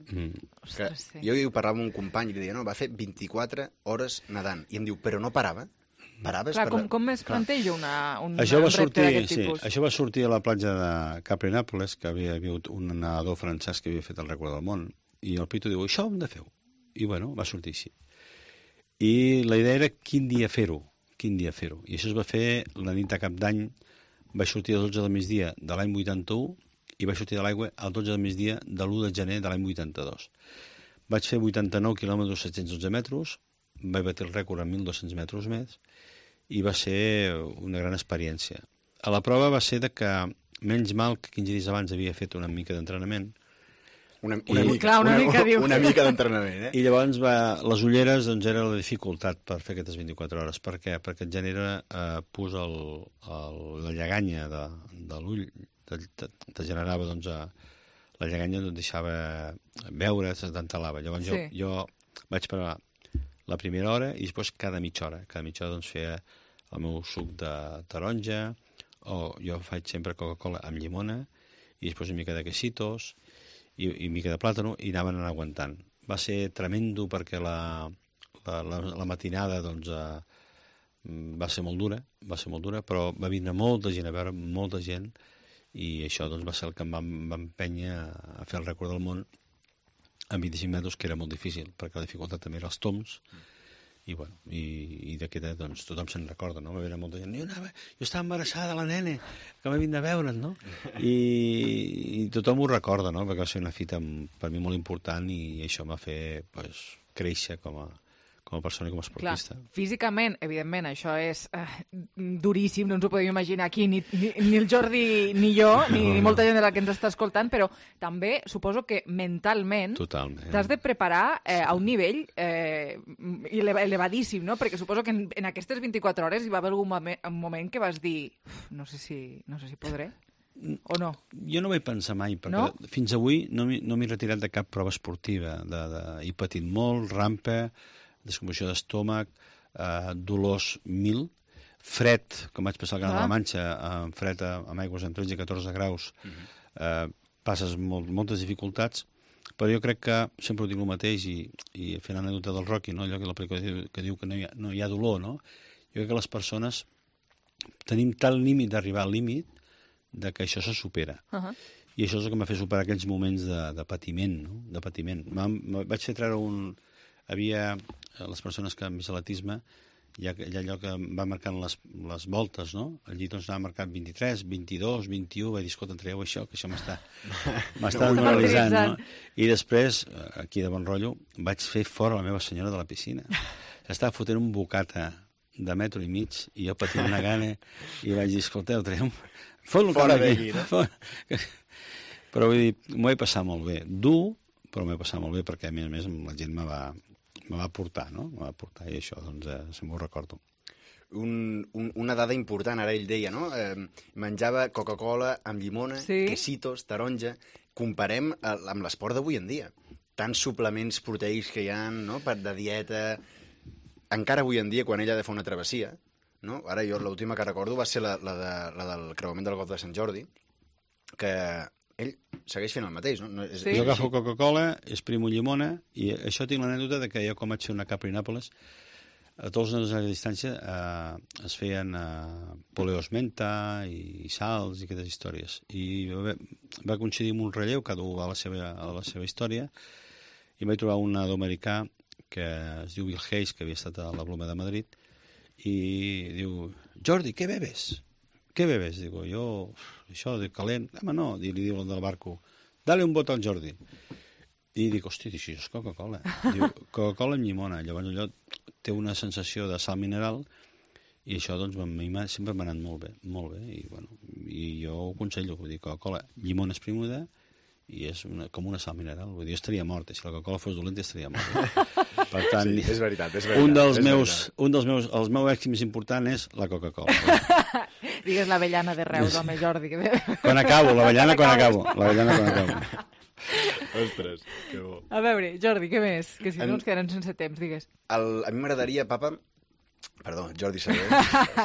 Ostres, sí. Jo parlava amb un company i li deia, no, va fer 24 hores nedant. I em diu, però no parava. Clar, com es planteja un repte d'aquest tipus? Això va sortir a la platja de Capri-Nàpols, que havia hagut un nedador francès que havia fet el rècord del món, i el Pitu diu, això ho hem de fer. I bueno, va sortir així. I la idea era quin dia fer-ho. I això es va fer la nit de Cap d'Any, vaig sortir a 12 del migdia de l'any 81 i vaig sortir de l'aigua al 12 del migdia de l'1 de gener de l'any 82. Vaig fer 89 quilòmetres 712 metres, vaig batir el rècord a 1.200 metres més, i va ser una gran experiència. A la prova va ser que, menys mal que 15 dies abans havia fet una mica d'entrenament. Una mica d'entrenament, I llavors les ulleres doncs, era la dificultat per fer aquestes 24 hores. Per què? Perquè et genera pus la lleganya de l'ull, te generava, doncs, la lleganya et deixava veure, t'entalava. Llavors jo vaig parar la primera hora i després cada mitja hora. Cada mitja hora doncs, feia el meu suc de taronja, o jo faig sempre Coca-Cola amb llimona, i després una mica de quesitos, i una mica de plàtano, i anaven aguantant. Va ser tremendo perquè la matinada doncs, va ser molt dura, però va vindre molta gent a veure, molta gent, i això doncs, va ser el que em va empènyer a fer el rècord del món amb 25 metres, que era molt difícil, perquè la dificultat també era els toms, i bueno, i d'aquesta, doncs, tothom se'n recorda, no? Va haver molta gent, jo estava embarassada, la nena, que va vindre a veure'n, no? I tothom ho recorda, no? Perquè va ser una fita per mi molt important i això m'ha fet créixer com a persona i com a esportista. Clar, físicament, evidentment, això és duríssim, no ens ho podem imaginar aquí, ni el Jordi ni jo, ni molta gent de la que ens està escoltant, però també suposo que mentalment t'has de preparar a un nivell elevadíssim, no? Perquè suposo que en aquestes 24 hores hi va haver algun moment que vas dir no sé si podré. O no? Jo no vaig pensar mai, perquè fins avui no m'he retirat de cap prova esportiva. He patit molt, rampa, descomposició d'estómac, dolors 1000, fred, com vaig passar al Canal de la Manxa, fred amb aigües amb 13 i 14 graus, passes moltes dificultats, però jo crec que sempre ho dic el mateix, i fent l'anècdota del Rocky, allò que la pel·lícula que diu que no hi ha dolor, no? Jo crec que les persones tenim tal límit d'arribar al límit de que això se supera. I això és el que m'ha fet superar aquells moments de patiment, no? De patiment. Vaig fer treure havia les persones que amb atletisme hi ha allò que va marcant les voltes, no? Allí doncs anava marcat 23, 22, 21, vaig dir, escolta, traieu això, que això m'està demoralitzant, no? I després, aquí de bon rotllo, vaig fer fora la meva senyora de la piscina. Estava fotent un bocata de metro i mig, i jo patint una gana, i vaig dir, escolteu, traiem... Fora d'aquí, no? Però vull dir, m'ho he passat molt bé. Dur, però m'he passat molt bé, perquè a més la gent me va portar, no? Me va portar, i això, doncs, se m'ho recordo. Una dada important, ara ell deia, no? Menjava Coca-Cola amb llimona, quesitos, taronja. Comparem amb l'esport d'avui en dia. Tants suplements proteics que hi ha, no?, de dieta. Encara avui en dia, quan ell ha de fer una travessia, no? Ara jo l'última que recordo va ser la del creuament del Golf de Sant Jordi, que ell segueix fent el mateix, no? Sí. Jo agafo Coca-Cola, exprimo llimona, i això tinc l'anècdota de que jo, com vaig fer una Capri Nàpoles, a tots els a la distància es feien poleos menta i salts i aquestes històries. I va coincidir amb un relleu, cada un a la seva història, i vaig trobar un nado-americà que es diu Bill Hayes, que havia estat a la Bloma de Madrid, i diu, Jordi, què bebes? Què bebes? Digo, jo, això de calent. Home, no, li diu el del barco, dale un bot al Jordi. I dic, hòstia, això és Coca-Cola. Diu, Coca-Cola amb llimona. Llavors allò té una sensació de sal mineral, i això, doncs, sempre m'ha anat molt bé. I, bueno, i jo ho aconsello, vull dir, Coca-Cola, llimona esprimuda, i és com una sal mineral. Vull dir, jo estaria mort, si la Coca-Cola fos dolenta estaria mort. Per tant, sí, és veritat. Un dels meus èxits més important és la Coca-Cola. Digues l'avellana de Reus, home, Jordi. Quan acabo, l'avellana quan acabo. Ostres, que bo. A veure, Jordi, què més? Que si no ens quedarem sense temps, digues. A mi m'agradaria, papa... Perdó, Jordi Saber.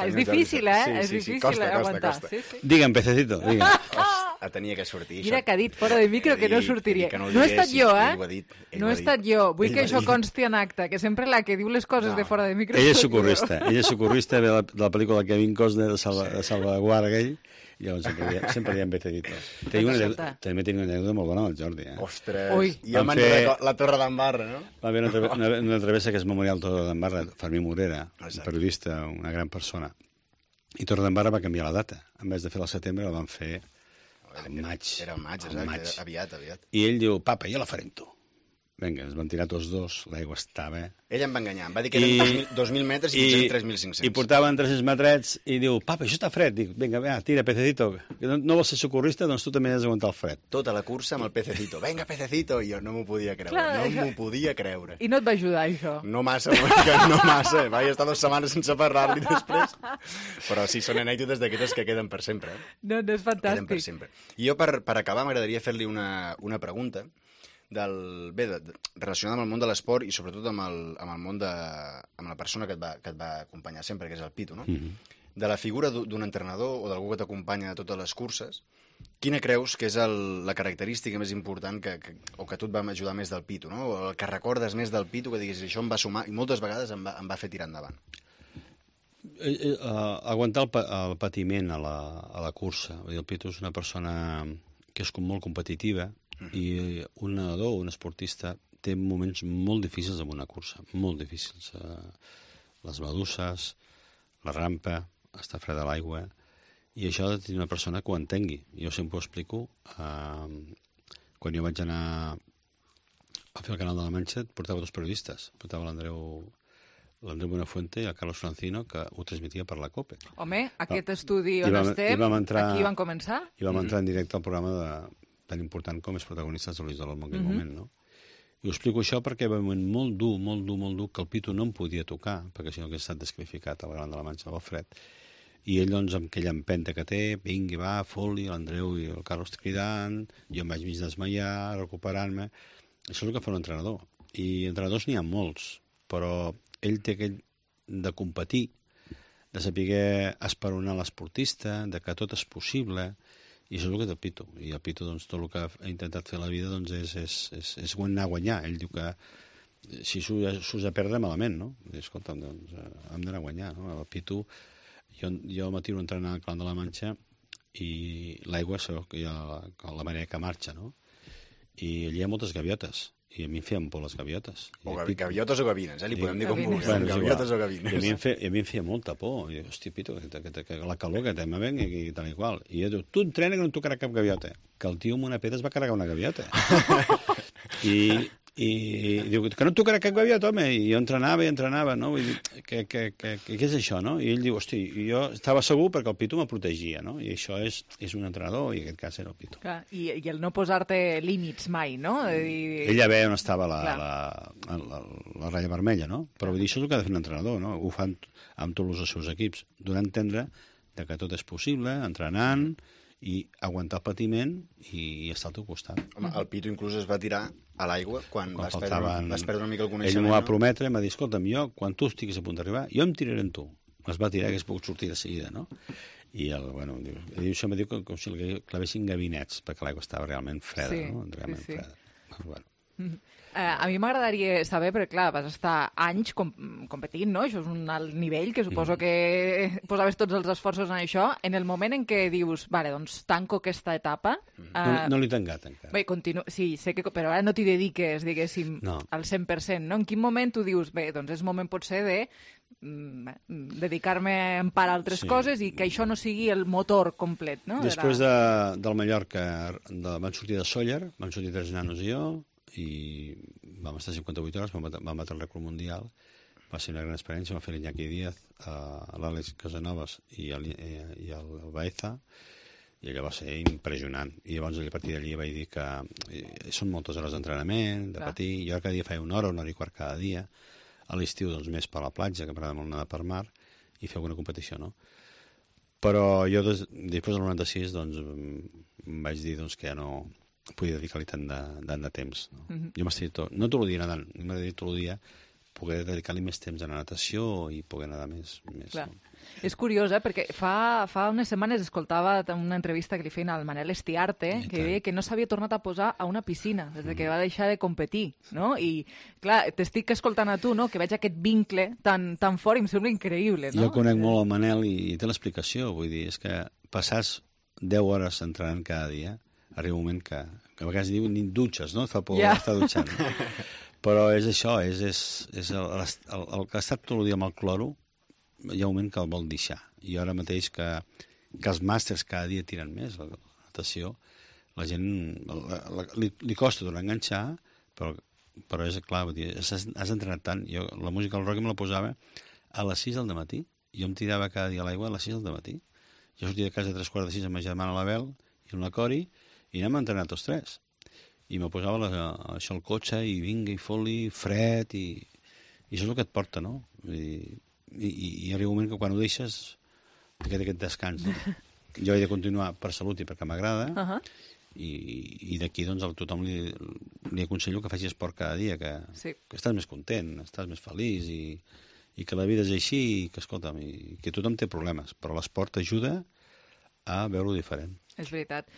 És difícil, eh? És difícil aguantar. Digue'm, pececito, digue'm. Tenia que sortir. Mira que ha dit fora de micro que no sortiria. No he estat jo, eh? No he estat jo. Vull que això consti en acte, que sempre la que diu les coses de fora de micro... Ell és socorrista de la pel·lícula Kevin Costner de Salvaguarda aquell, i llavors sempre diem Becedito. També tenia una anècdota molt bona amb el Jordi, eh? Ostres, i el manjo de la Torre d'Embarra, no? Va haver una travessa que és Memorial Torre d'Embarra, Fermí Morera, un periodista, una gran persona. I Torre d'Embarra va canviar la data. En vez de fer-la al setembre, la van fer al maig. Era al maig, exacte, aviat. I ell diu, papa, jo la faré amb tu. Vinga, ens van tirar tots dos, l'aigua estava... Ell em va enganyar, em va dir que eren 2.000 metres i 3.500. I portaven 300 metrets i diu, papa, això està fred. Dic, vinga, tira, pececito. No vols ser socorrista, doncs tu també has d'aguantar el fred. Tota la cursa amb el pececito. Vinga, pececito. I jo no m'ho podia creure, I no et va ajudar, això? No massa, no massa. Vaig estar 2 setmanes sense parlar-li després. Però sí, són anècdotes d'aquestes que queden per sempre. No, és fantàstic. Queden per sempre. I jo, per acabar, m'agradaria fer-li una pregunta relacionada amb el món de l'esport i sobretot amb la persona que et va acompanyar sempre, que és el Pitu, no? De la figura d'un entrenador o d'algú que t'acompanya a totes les curses, quina creus que és la característica més important o que a tu et va ajudar més del Pitu, no? O el que recordes més del Pitu, que diguis, això em va sumar, i moltes vegades em va fer tirar endavant? Aguantar el patiment a la cursa. El Pitu és una persona que és molt competitiva, i un nedador, un esportista, té moments molt difícils en una cursa, molt difícils. Les meduses, la rampa, estar fred a l'aigua, i això ha de tenir una persona que ho entengui. Jo sempre ho explico. Quan jo vaig anar a fer el Canal de la Manxa, portava 2 periodistes. Portava l'Andreu Buenafuente i el Carlos Francino, que ho transmetia per la COPE. Home, aquest estudi on estem, aquí van començar? I vam entrar en directe al programa tan important com és protagonistes de l'Isol en aquell moment, no? I ho explico això perquè va un moment molt dur, que el Pitu no em podia tocar, perquè si no hauria estat desqualificat al Gran de la Manxa del fred. I ell, doncs, amb aquella empenta que té, vingui, va, fot-li, l'Andreu i el Carlos cridant, jo em vaig mig desmaiar, recuperant-me... Això és el que fa un entrenador. I entrenadors n'hi ha molts, però ell té aquell de competir, de saber esperonar l'esportista, de que tot és possible... I això és el que té el Pitu. I el Pitu, doncs, tot el que ha intentat fer a la vida doncs, és anar a guanyar. Ell diu que si s'us a perdre malament, no? I, escolta'm, doncs, hem d'anar a guanyar, no? El Pitu, jo m'atiro a entrenar al Clan de la Manxa i l'aigua, sabeu que hi ha la marea que marxa, no? I allà hi ha moltes gaviotes. i a mi em feien por les gaviotes. O gaviotes o gavines, li podem dir com vulguem. Gaviotes o gavines. I a mi em feia molta por. I dic, hòstia, Pito, que la calor que me venga i tal i qual. I jo dic, tu entrena que no et tocarà cap gaviota. Que el tio amb una pedra es va carregar una gaviota. I diu, que no et tocarà cap gaviota, home. I jo entrenava, no? Vull dir, què és això, no? I ell diu, hosti, jo estava segur perquè el Pito me protegia, no? I això és un entrenador, i en aquest cas era el Pito. Clar, i el no posar-te límits mai, no? Ella ve on estava la ratlla vermella, no? Però vull dir, això és el que ha de fer un entrenador, no? Ho fan amb tots els seus equips, donant a entendre que tot és possible, entrenant, i aguantar el patiment i estar al teu costat. Home, el Pito inclús es va tirar a l'aigua quan vas perdre una mica el coneixement. Ell m'ho va prometre, em va dir, escolta'm, jo, quan tu estiguis a punt d'arribar, jo em tiraré en tu. Es va tirar, que es pogut sortir de seguida, no? I això em va dir com si clavessin gabinets, perquè l'aigua estava realment freda, no? Realment freda. Bueno. A mi m'agradaria saber, perquè clar, vas estar anys competint, no? Això és un alt nivell, que suposo que posaves tots els esforços en això. En el moment en què dius, vale, doncs tanco aquesta etapa... No l'he tancat encara. Bé, sí, sé que... Però ara no t'hi dediques, diguéssim, al 100%, no? En quin moment tu dius, bé, doncs és moment potser de dedicar-me en part a altres coses i que això no sigui el motor complet, no? Després del Mallorca van sortir de Sóller, van sortir 3 nanos i jo, i vam estar 58 hores, vam batre el rècord mundial, va ser una gran experiència, va fer l'Iñaki Díaz, l'Àlex Casanovas i el Baeza, i allò va ser impressionant. I llavors a partir d'allí vaig dir que són moltes hores d'entrenament, de patir, jo cada dia feia una hora i quart cada dia, a l'estiu doncs més per la platja, que m'agrada molt anar per mar, i fer alguna competició, no? Però jo després del 96 doncs em vaig dir doncs, que ja no podia dedicar-li tant de temps. No? Jo m'estic no tot el dia nedant, m'agradaria tot el dia poder dedicar-li més temps a la natació i poder nedar més. Clar. És curiós, perquè fa unes setmanes escoltava una entrevista que li feien al Manel Estiarte, que deia que no s'havia tornat a posar a una piscina des que va deixar de competir, no? I, clar, t'estic escoltant a tu, no?, que veig aquest vincle tan fort i em sembla increïble, no? Jo conec molt el Manel i té l'explicació, vull dir, és que passar 10 hores entrenant cada dia, arriba un moment que a vegades diu ni dutxes, no? Et fa por estar dutxant. Però és això, és el que ha estat tot el dia amb el cloro, hi ha un moment que el vol deixar. I ara mateix que els màsters cada dia tiren més, la natació, la gent li costa tornar a enganxar, però és clar, has entrenat tant. Jo la música del rock me la posava a les 6 del matí. Jo em tirava cada dia a l'aigua a les 6 del matí. Jo sortia de casa a 3:45 amb ma germana l'Abel i la Cori, i anem a entrenar tots 3. I me posava això al cotxe, i vinga, i fot-li, fred, i això és el que et porta, no? I arriba un moment que quan ho deixes, aquest descans. No? Jo he de continuar per salut i perquè m'agrada, i d'aquí doncs a tothom li aconsello que faci esport cada dia, que estàs més content, estàs més feliç, i que la vida és així, i que, escolta'm, i que tothom té problemes, però l'esport ajuda a veure-ho diferent. És veritat.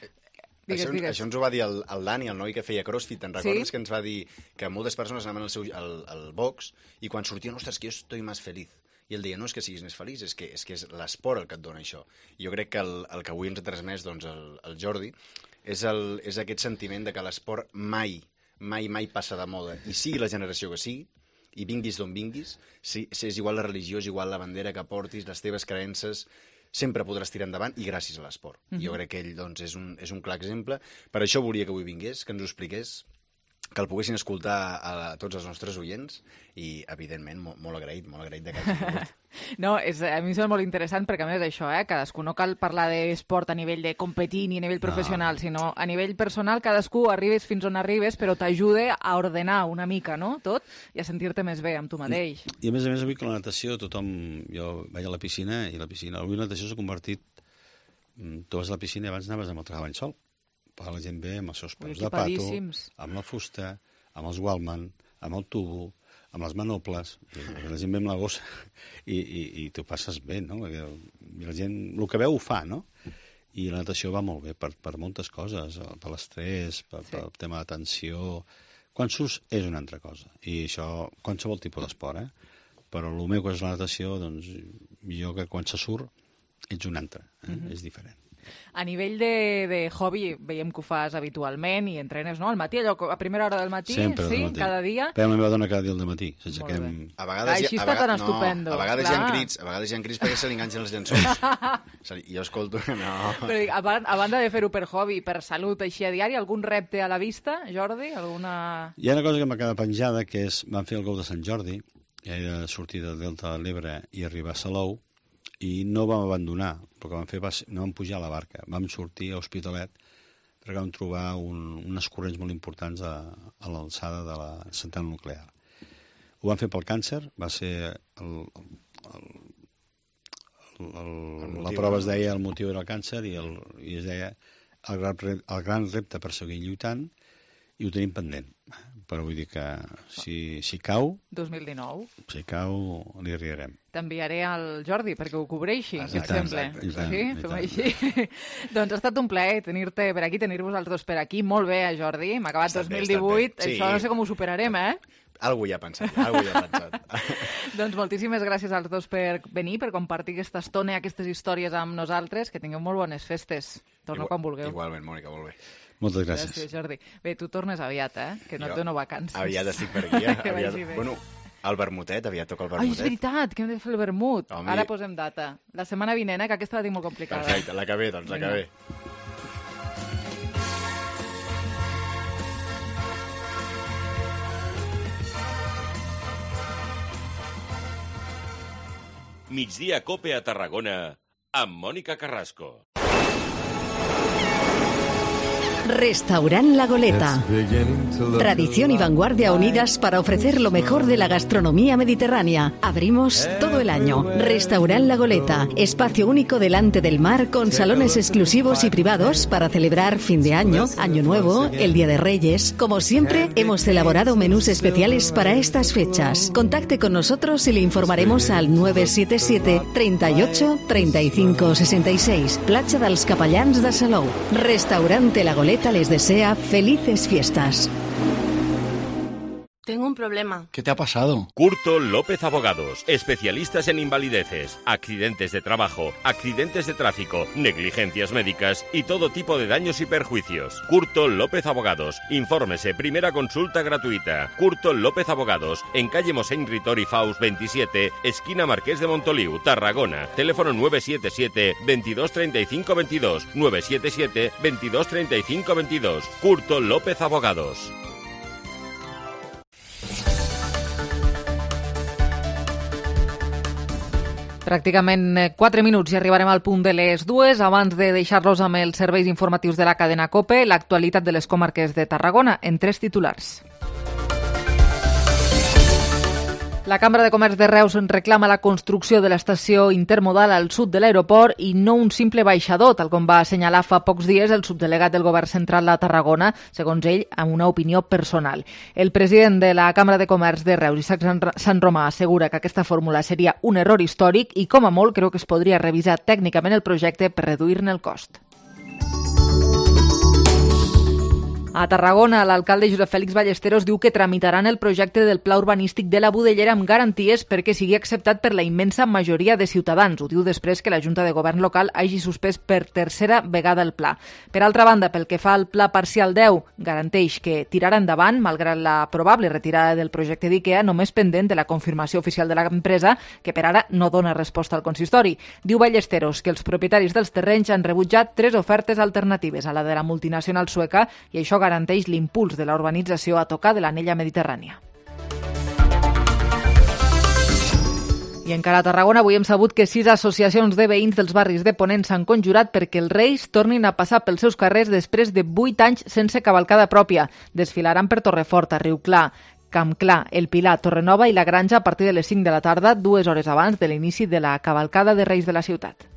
Això ens ho va dir el Dani, el noi que feia crossfit. Te'n recordes que ens va dir que moltes persones anaven al box i quan sortien, ostres, que jo estoy más feliz. I ell deia, no és que siguis més feliç, és que és l'esport el que et dona això. I jo crec que el que avui ens ha transmès el Jordi és aquest sentiment de que l'esport mai passa de moda. I sigui la generació que sigui, i vinguis d'on vinguis, si és igual la religió, és igual la bandera que portis, les teves creences, sempre podràs tirar endavant i gràcies a l'esport. Jo crec que ell doncs, és un clar exemple. Per això volia que avui vingués, que ens ho expliqués, que el poguessin escoltar a tots els nostres oients i, evidentment, molt agraït de que hagi vingut. No, a mi em sembla molt interessant perquè, a més, això, cadascú no cal parlar d'esport a nivell de competir ni a nivell professional, sinó a nivell personal cadascú arribes fins on arribes, però t'ajuda a ordenar una mica, no?, tot, i a sentir-te més bé amb tu mateix. I a més, avui que la natació, jo vaig a la piscina, i avui la natació s'ha convertit... Tu vas a la piscina i abans anaves amb el treball sol. La gent ve amb els seus peus de pato, amb la fusta, amb els Wallman, amb el tubo, amb les manoples, la gent ve amb la gossa i tu passes bé, no? I la gent, el que veu ho fa, no? I la natació va molt bé per moltes coses, per l'estrès, pel tema de tensió. Quan surts és una altra cosa, i això, qualsevol tipus d'esport, però el meu que és la natació, doncs, jo que quan se surt ets un altre, és diferent. A nivell de hobby, veiem que ho fas habitualment i entrenes, no? Al matí, allò, a primera hora del matí, sempre sí, matí. cada dia. Però la meva dona cada dia al matí. A vegades així està tan estupendo. A vegades hi ha crits perquè se li enganxen els llençols. Jo escolto que no. Però dic, a banda de fer-ho per hobby, per salut, així a diari, algun repte a la vista, Jordi? Hi ha una cosa que m'ha quedat penjada, que és, vam fer el Gou de Sant Jordi, que era sortir del Delta de l'Ebre i arribar a Salou, i no vam abandonar. El que vam fer no vam pujar a la barca. Vam sortir a Hospitalet perquè vam trobar unes corrents molt importants a l'alçada de la central nuclear. Ho vam fer pel càncer, va ser la prova es deia, el motiu era el càncer i es deia el gran repte per seguir lluitant, i ho tenim pendent. Però vull dir que si cau... 2019. Si cau, li arribarem. T'enviaré al Jordi perquè ho cobreixi, si et sembla. Sí? Fem així. Doncs ha estat un plaer tenir-te per aquí, tenir-vos els dos per aquí. Molt bé, Jordi. M'ha acabat 2018. Això no sé com ho superarem, Algú ja ha pensat. Doncs moltíssimes gràcies als dos per venir, per compartir aquesta estona, aquestes històries amb nosaltres. Que tingueu molt bones festes. Torneu quan vulgueu. Igualment, Mònica, molt bé. Moltes gràcies. Gràcies, Jordi. Bé, tu tornes aviat, que no et dono vacances. Aviat estic per aquí, Bueno, el vermutet, aviat toca el vermutet. Ai, és veritat, que hem de fer el vermut. Ara posem data. La setmana vinent, que aquesta la tinc molt complicada. Perfecte, la que ve, doncs, la que ve. Migdia Cope a Tarragona amb Mònica Carrasco. Restaurant La Goleta. Tradición y vanguardia unidas para ofrecer lo mejor de la gastronomía mediterránea. Abrimos todo el año. Restaurant La Goleta. Espacio único delante del mar con salones exclusivos y privados para celebrar fin de año, Año Nuevo, el Día de Reyes. Como siempre, hemos elaborado menús especiales para estas fechas. Contacte con nosotros y le informaremos al 977 38 35 66. Platja dels Capellans de Salou. Restaurante La Goleta les desea felices fiestas. Tengo un problema. ¿Qué te ha pasado? Curto López Abogados, especialistas en invalideces, accidentes de trabajo, accidentes de tráfico, negligencias médicas y todo tipo de daños y perjuicios. Curto López Abogados. Infórmese, primera consulta gratuita. Curto López Abogados, en calle Mosén Ritori Faus 27, esquina Marqués de Montoliu, Tarragona. Teléfono 977 22 35 22, 977 22 35 22. Curto López Abogados. Pràcticament 4 minuts i arribarem al punt de les 2. Abans de deixar-los amb els serveis informatius de la cadena COPE, l'actualitat de les comarques de Tarragona en 3 titulars. La Cambra de Comerç de Reus reclama la construcció de l'estació intermodal al sud de l'aeroport i no un simple baixador, tal com va assenyalar fa pocs dies el subdelegat del Govern Central a Tarragona, segons ell, amb una opinió personal. El president de la Cambra de Comerç de Reus, Isaac Sant Romà, assegura que aquesta fórmula seria un error històric i, com a molt, creu que es podria revisar tècnicament el projecte per reduir-ne el cost. A Tarragona, l'alcalde Josep Fèlix Ballesteros diu que tramitaran el projecte del pla urbanístic de la Budellera amb garanties perquè sigui acceptat per la immensa majoria de ciutadans. Ho diu després que la Junta de Govern local hagi suspès per tercera vegada el pla. Per altra banda, pel que fa al pla parcial 10, garanteix que tirarà endavant, malgrat la probable retirada del projecte d'IKEA, només pendent de la confirmació oficial de l'empresa, que per ara no dona resposta al consistori. Diu Ballesteros que els propietaris dels terrenys han rebutjat 3 ofertes alternatives a la de la multinacional sueca i això garanteix l'impuls de la urbanització a tocar de l'anella mediterrània. I encara a Tarragona avui hem sabut que 6 associacions de veïns dels barris de Ponent s'han conjurat perquè els Reis tornin a passar pels seus carrers després de 8 anys sense cavalcada pròpia. Desfilaran per Torrefort, Riuclar, Campclar, El Pilar, Torrenova i la Granja a partir de les 5 de la tarda, 2 hores abans de l'inici de la cavalcada de Reis de la ciutat.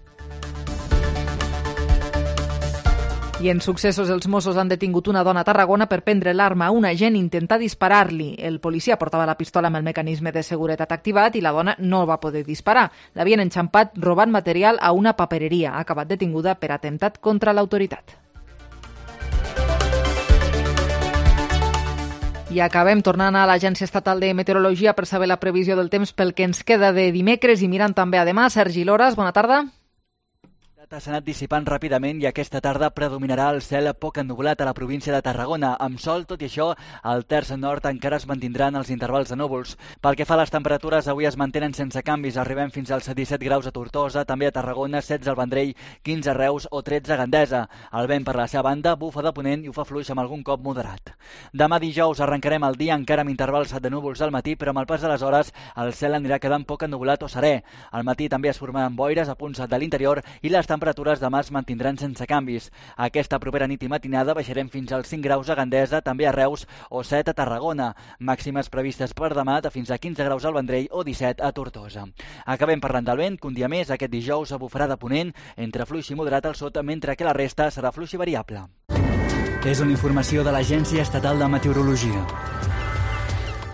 I en successos, els Mossos han detingut una dona a Tarragona per prendre l'arma a un agent i intentar disparar-li. El policia portava la pistola amb el mecanisme de seguretat activat i la dona no va poder disparar. L'havien enxampat robant material a una papereria. Ha acabat detinguda per atemptat contra l'autoritat. I acabem tornant a l'Agència Estatal de Meteorologia per saber la previsió del temps pel que ens queda de dimecres i mirant també a demà. Sergi Loras, bona tarda. S'ha anat dissipant ràpidament i aquesta tarda predominarà el cel poc ennuvolat a la província de Tarragona. Amb sol, tot i això, al terç nord encara es mantindran els intervals de núvols. Pel que fa a les temperatures, avui es mantenen sense canvis. Arribem fins als 17 graus a Tortosa, també a Tarragona, 16 al Vendrell, 15 a Reus o 13 a Gandesa. El vent, per la seva banda, bufa de ponent i ho fa fluix amb algun cop moderat. Demà dijous arrencarem el dia encara amb intervals de núvols al matí, però amb el pas de les hores el cel anirà quedant poc ennuvolat o serè. Al matí també es formaran boires a punts de l'interior i les temperatures demà es mantindran sense canvis. Aquesta propera nit i matinada baixarem fins als 5 graus a Gandesa, també a Reus o 7 a Tarragona. Màximes previstes per demà de fins a 15 graus al Vendrell o 17 a Tortosa. Acabem parlant del vent, que un dia més aquest dijous bufarà de ponent entre fluix i moderat al sud, mentre que la resta serà fluix i variable. És una informació de l'Agència Estatal de Meteorologia.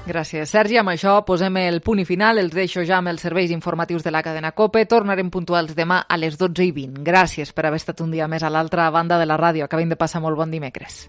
Gràcies, Sergi. Amb això posem el punt i final. Els deixo ja amb els serveis informatius de la cadena COPE. Tornarem puntuals demà a les 12:20. Gràcies per haver estat un dia més a l'altra banda de la ràdio. Acabem de passar molt bon dimecres.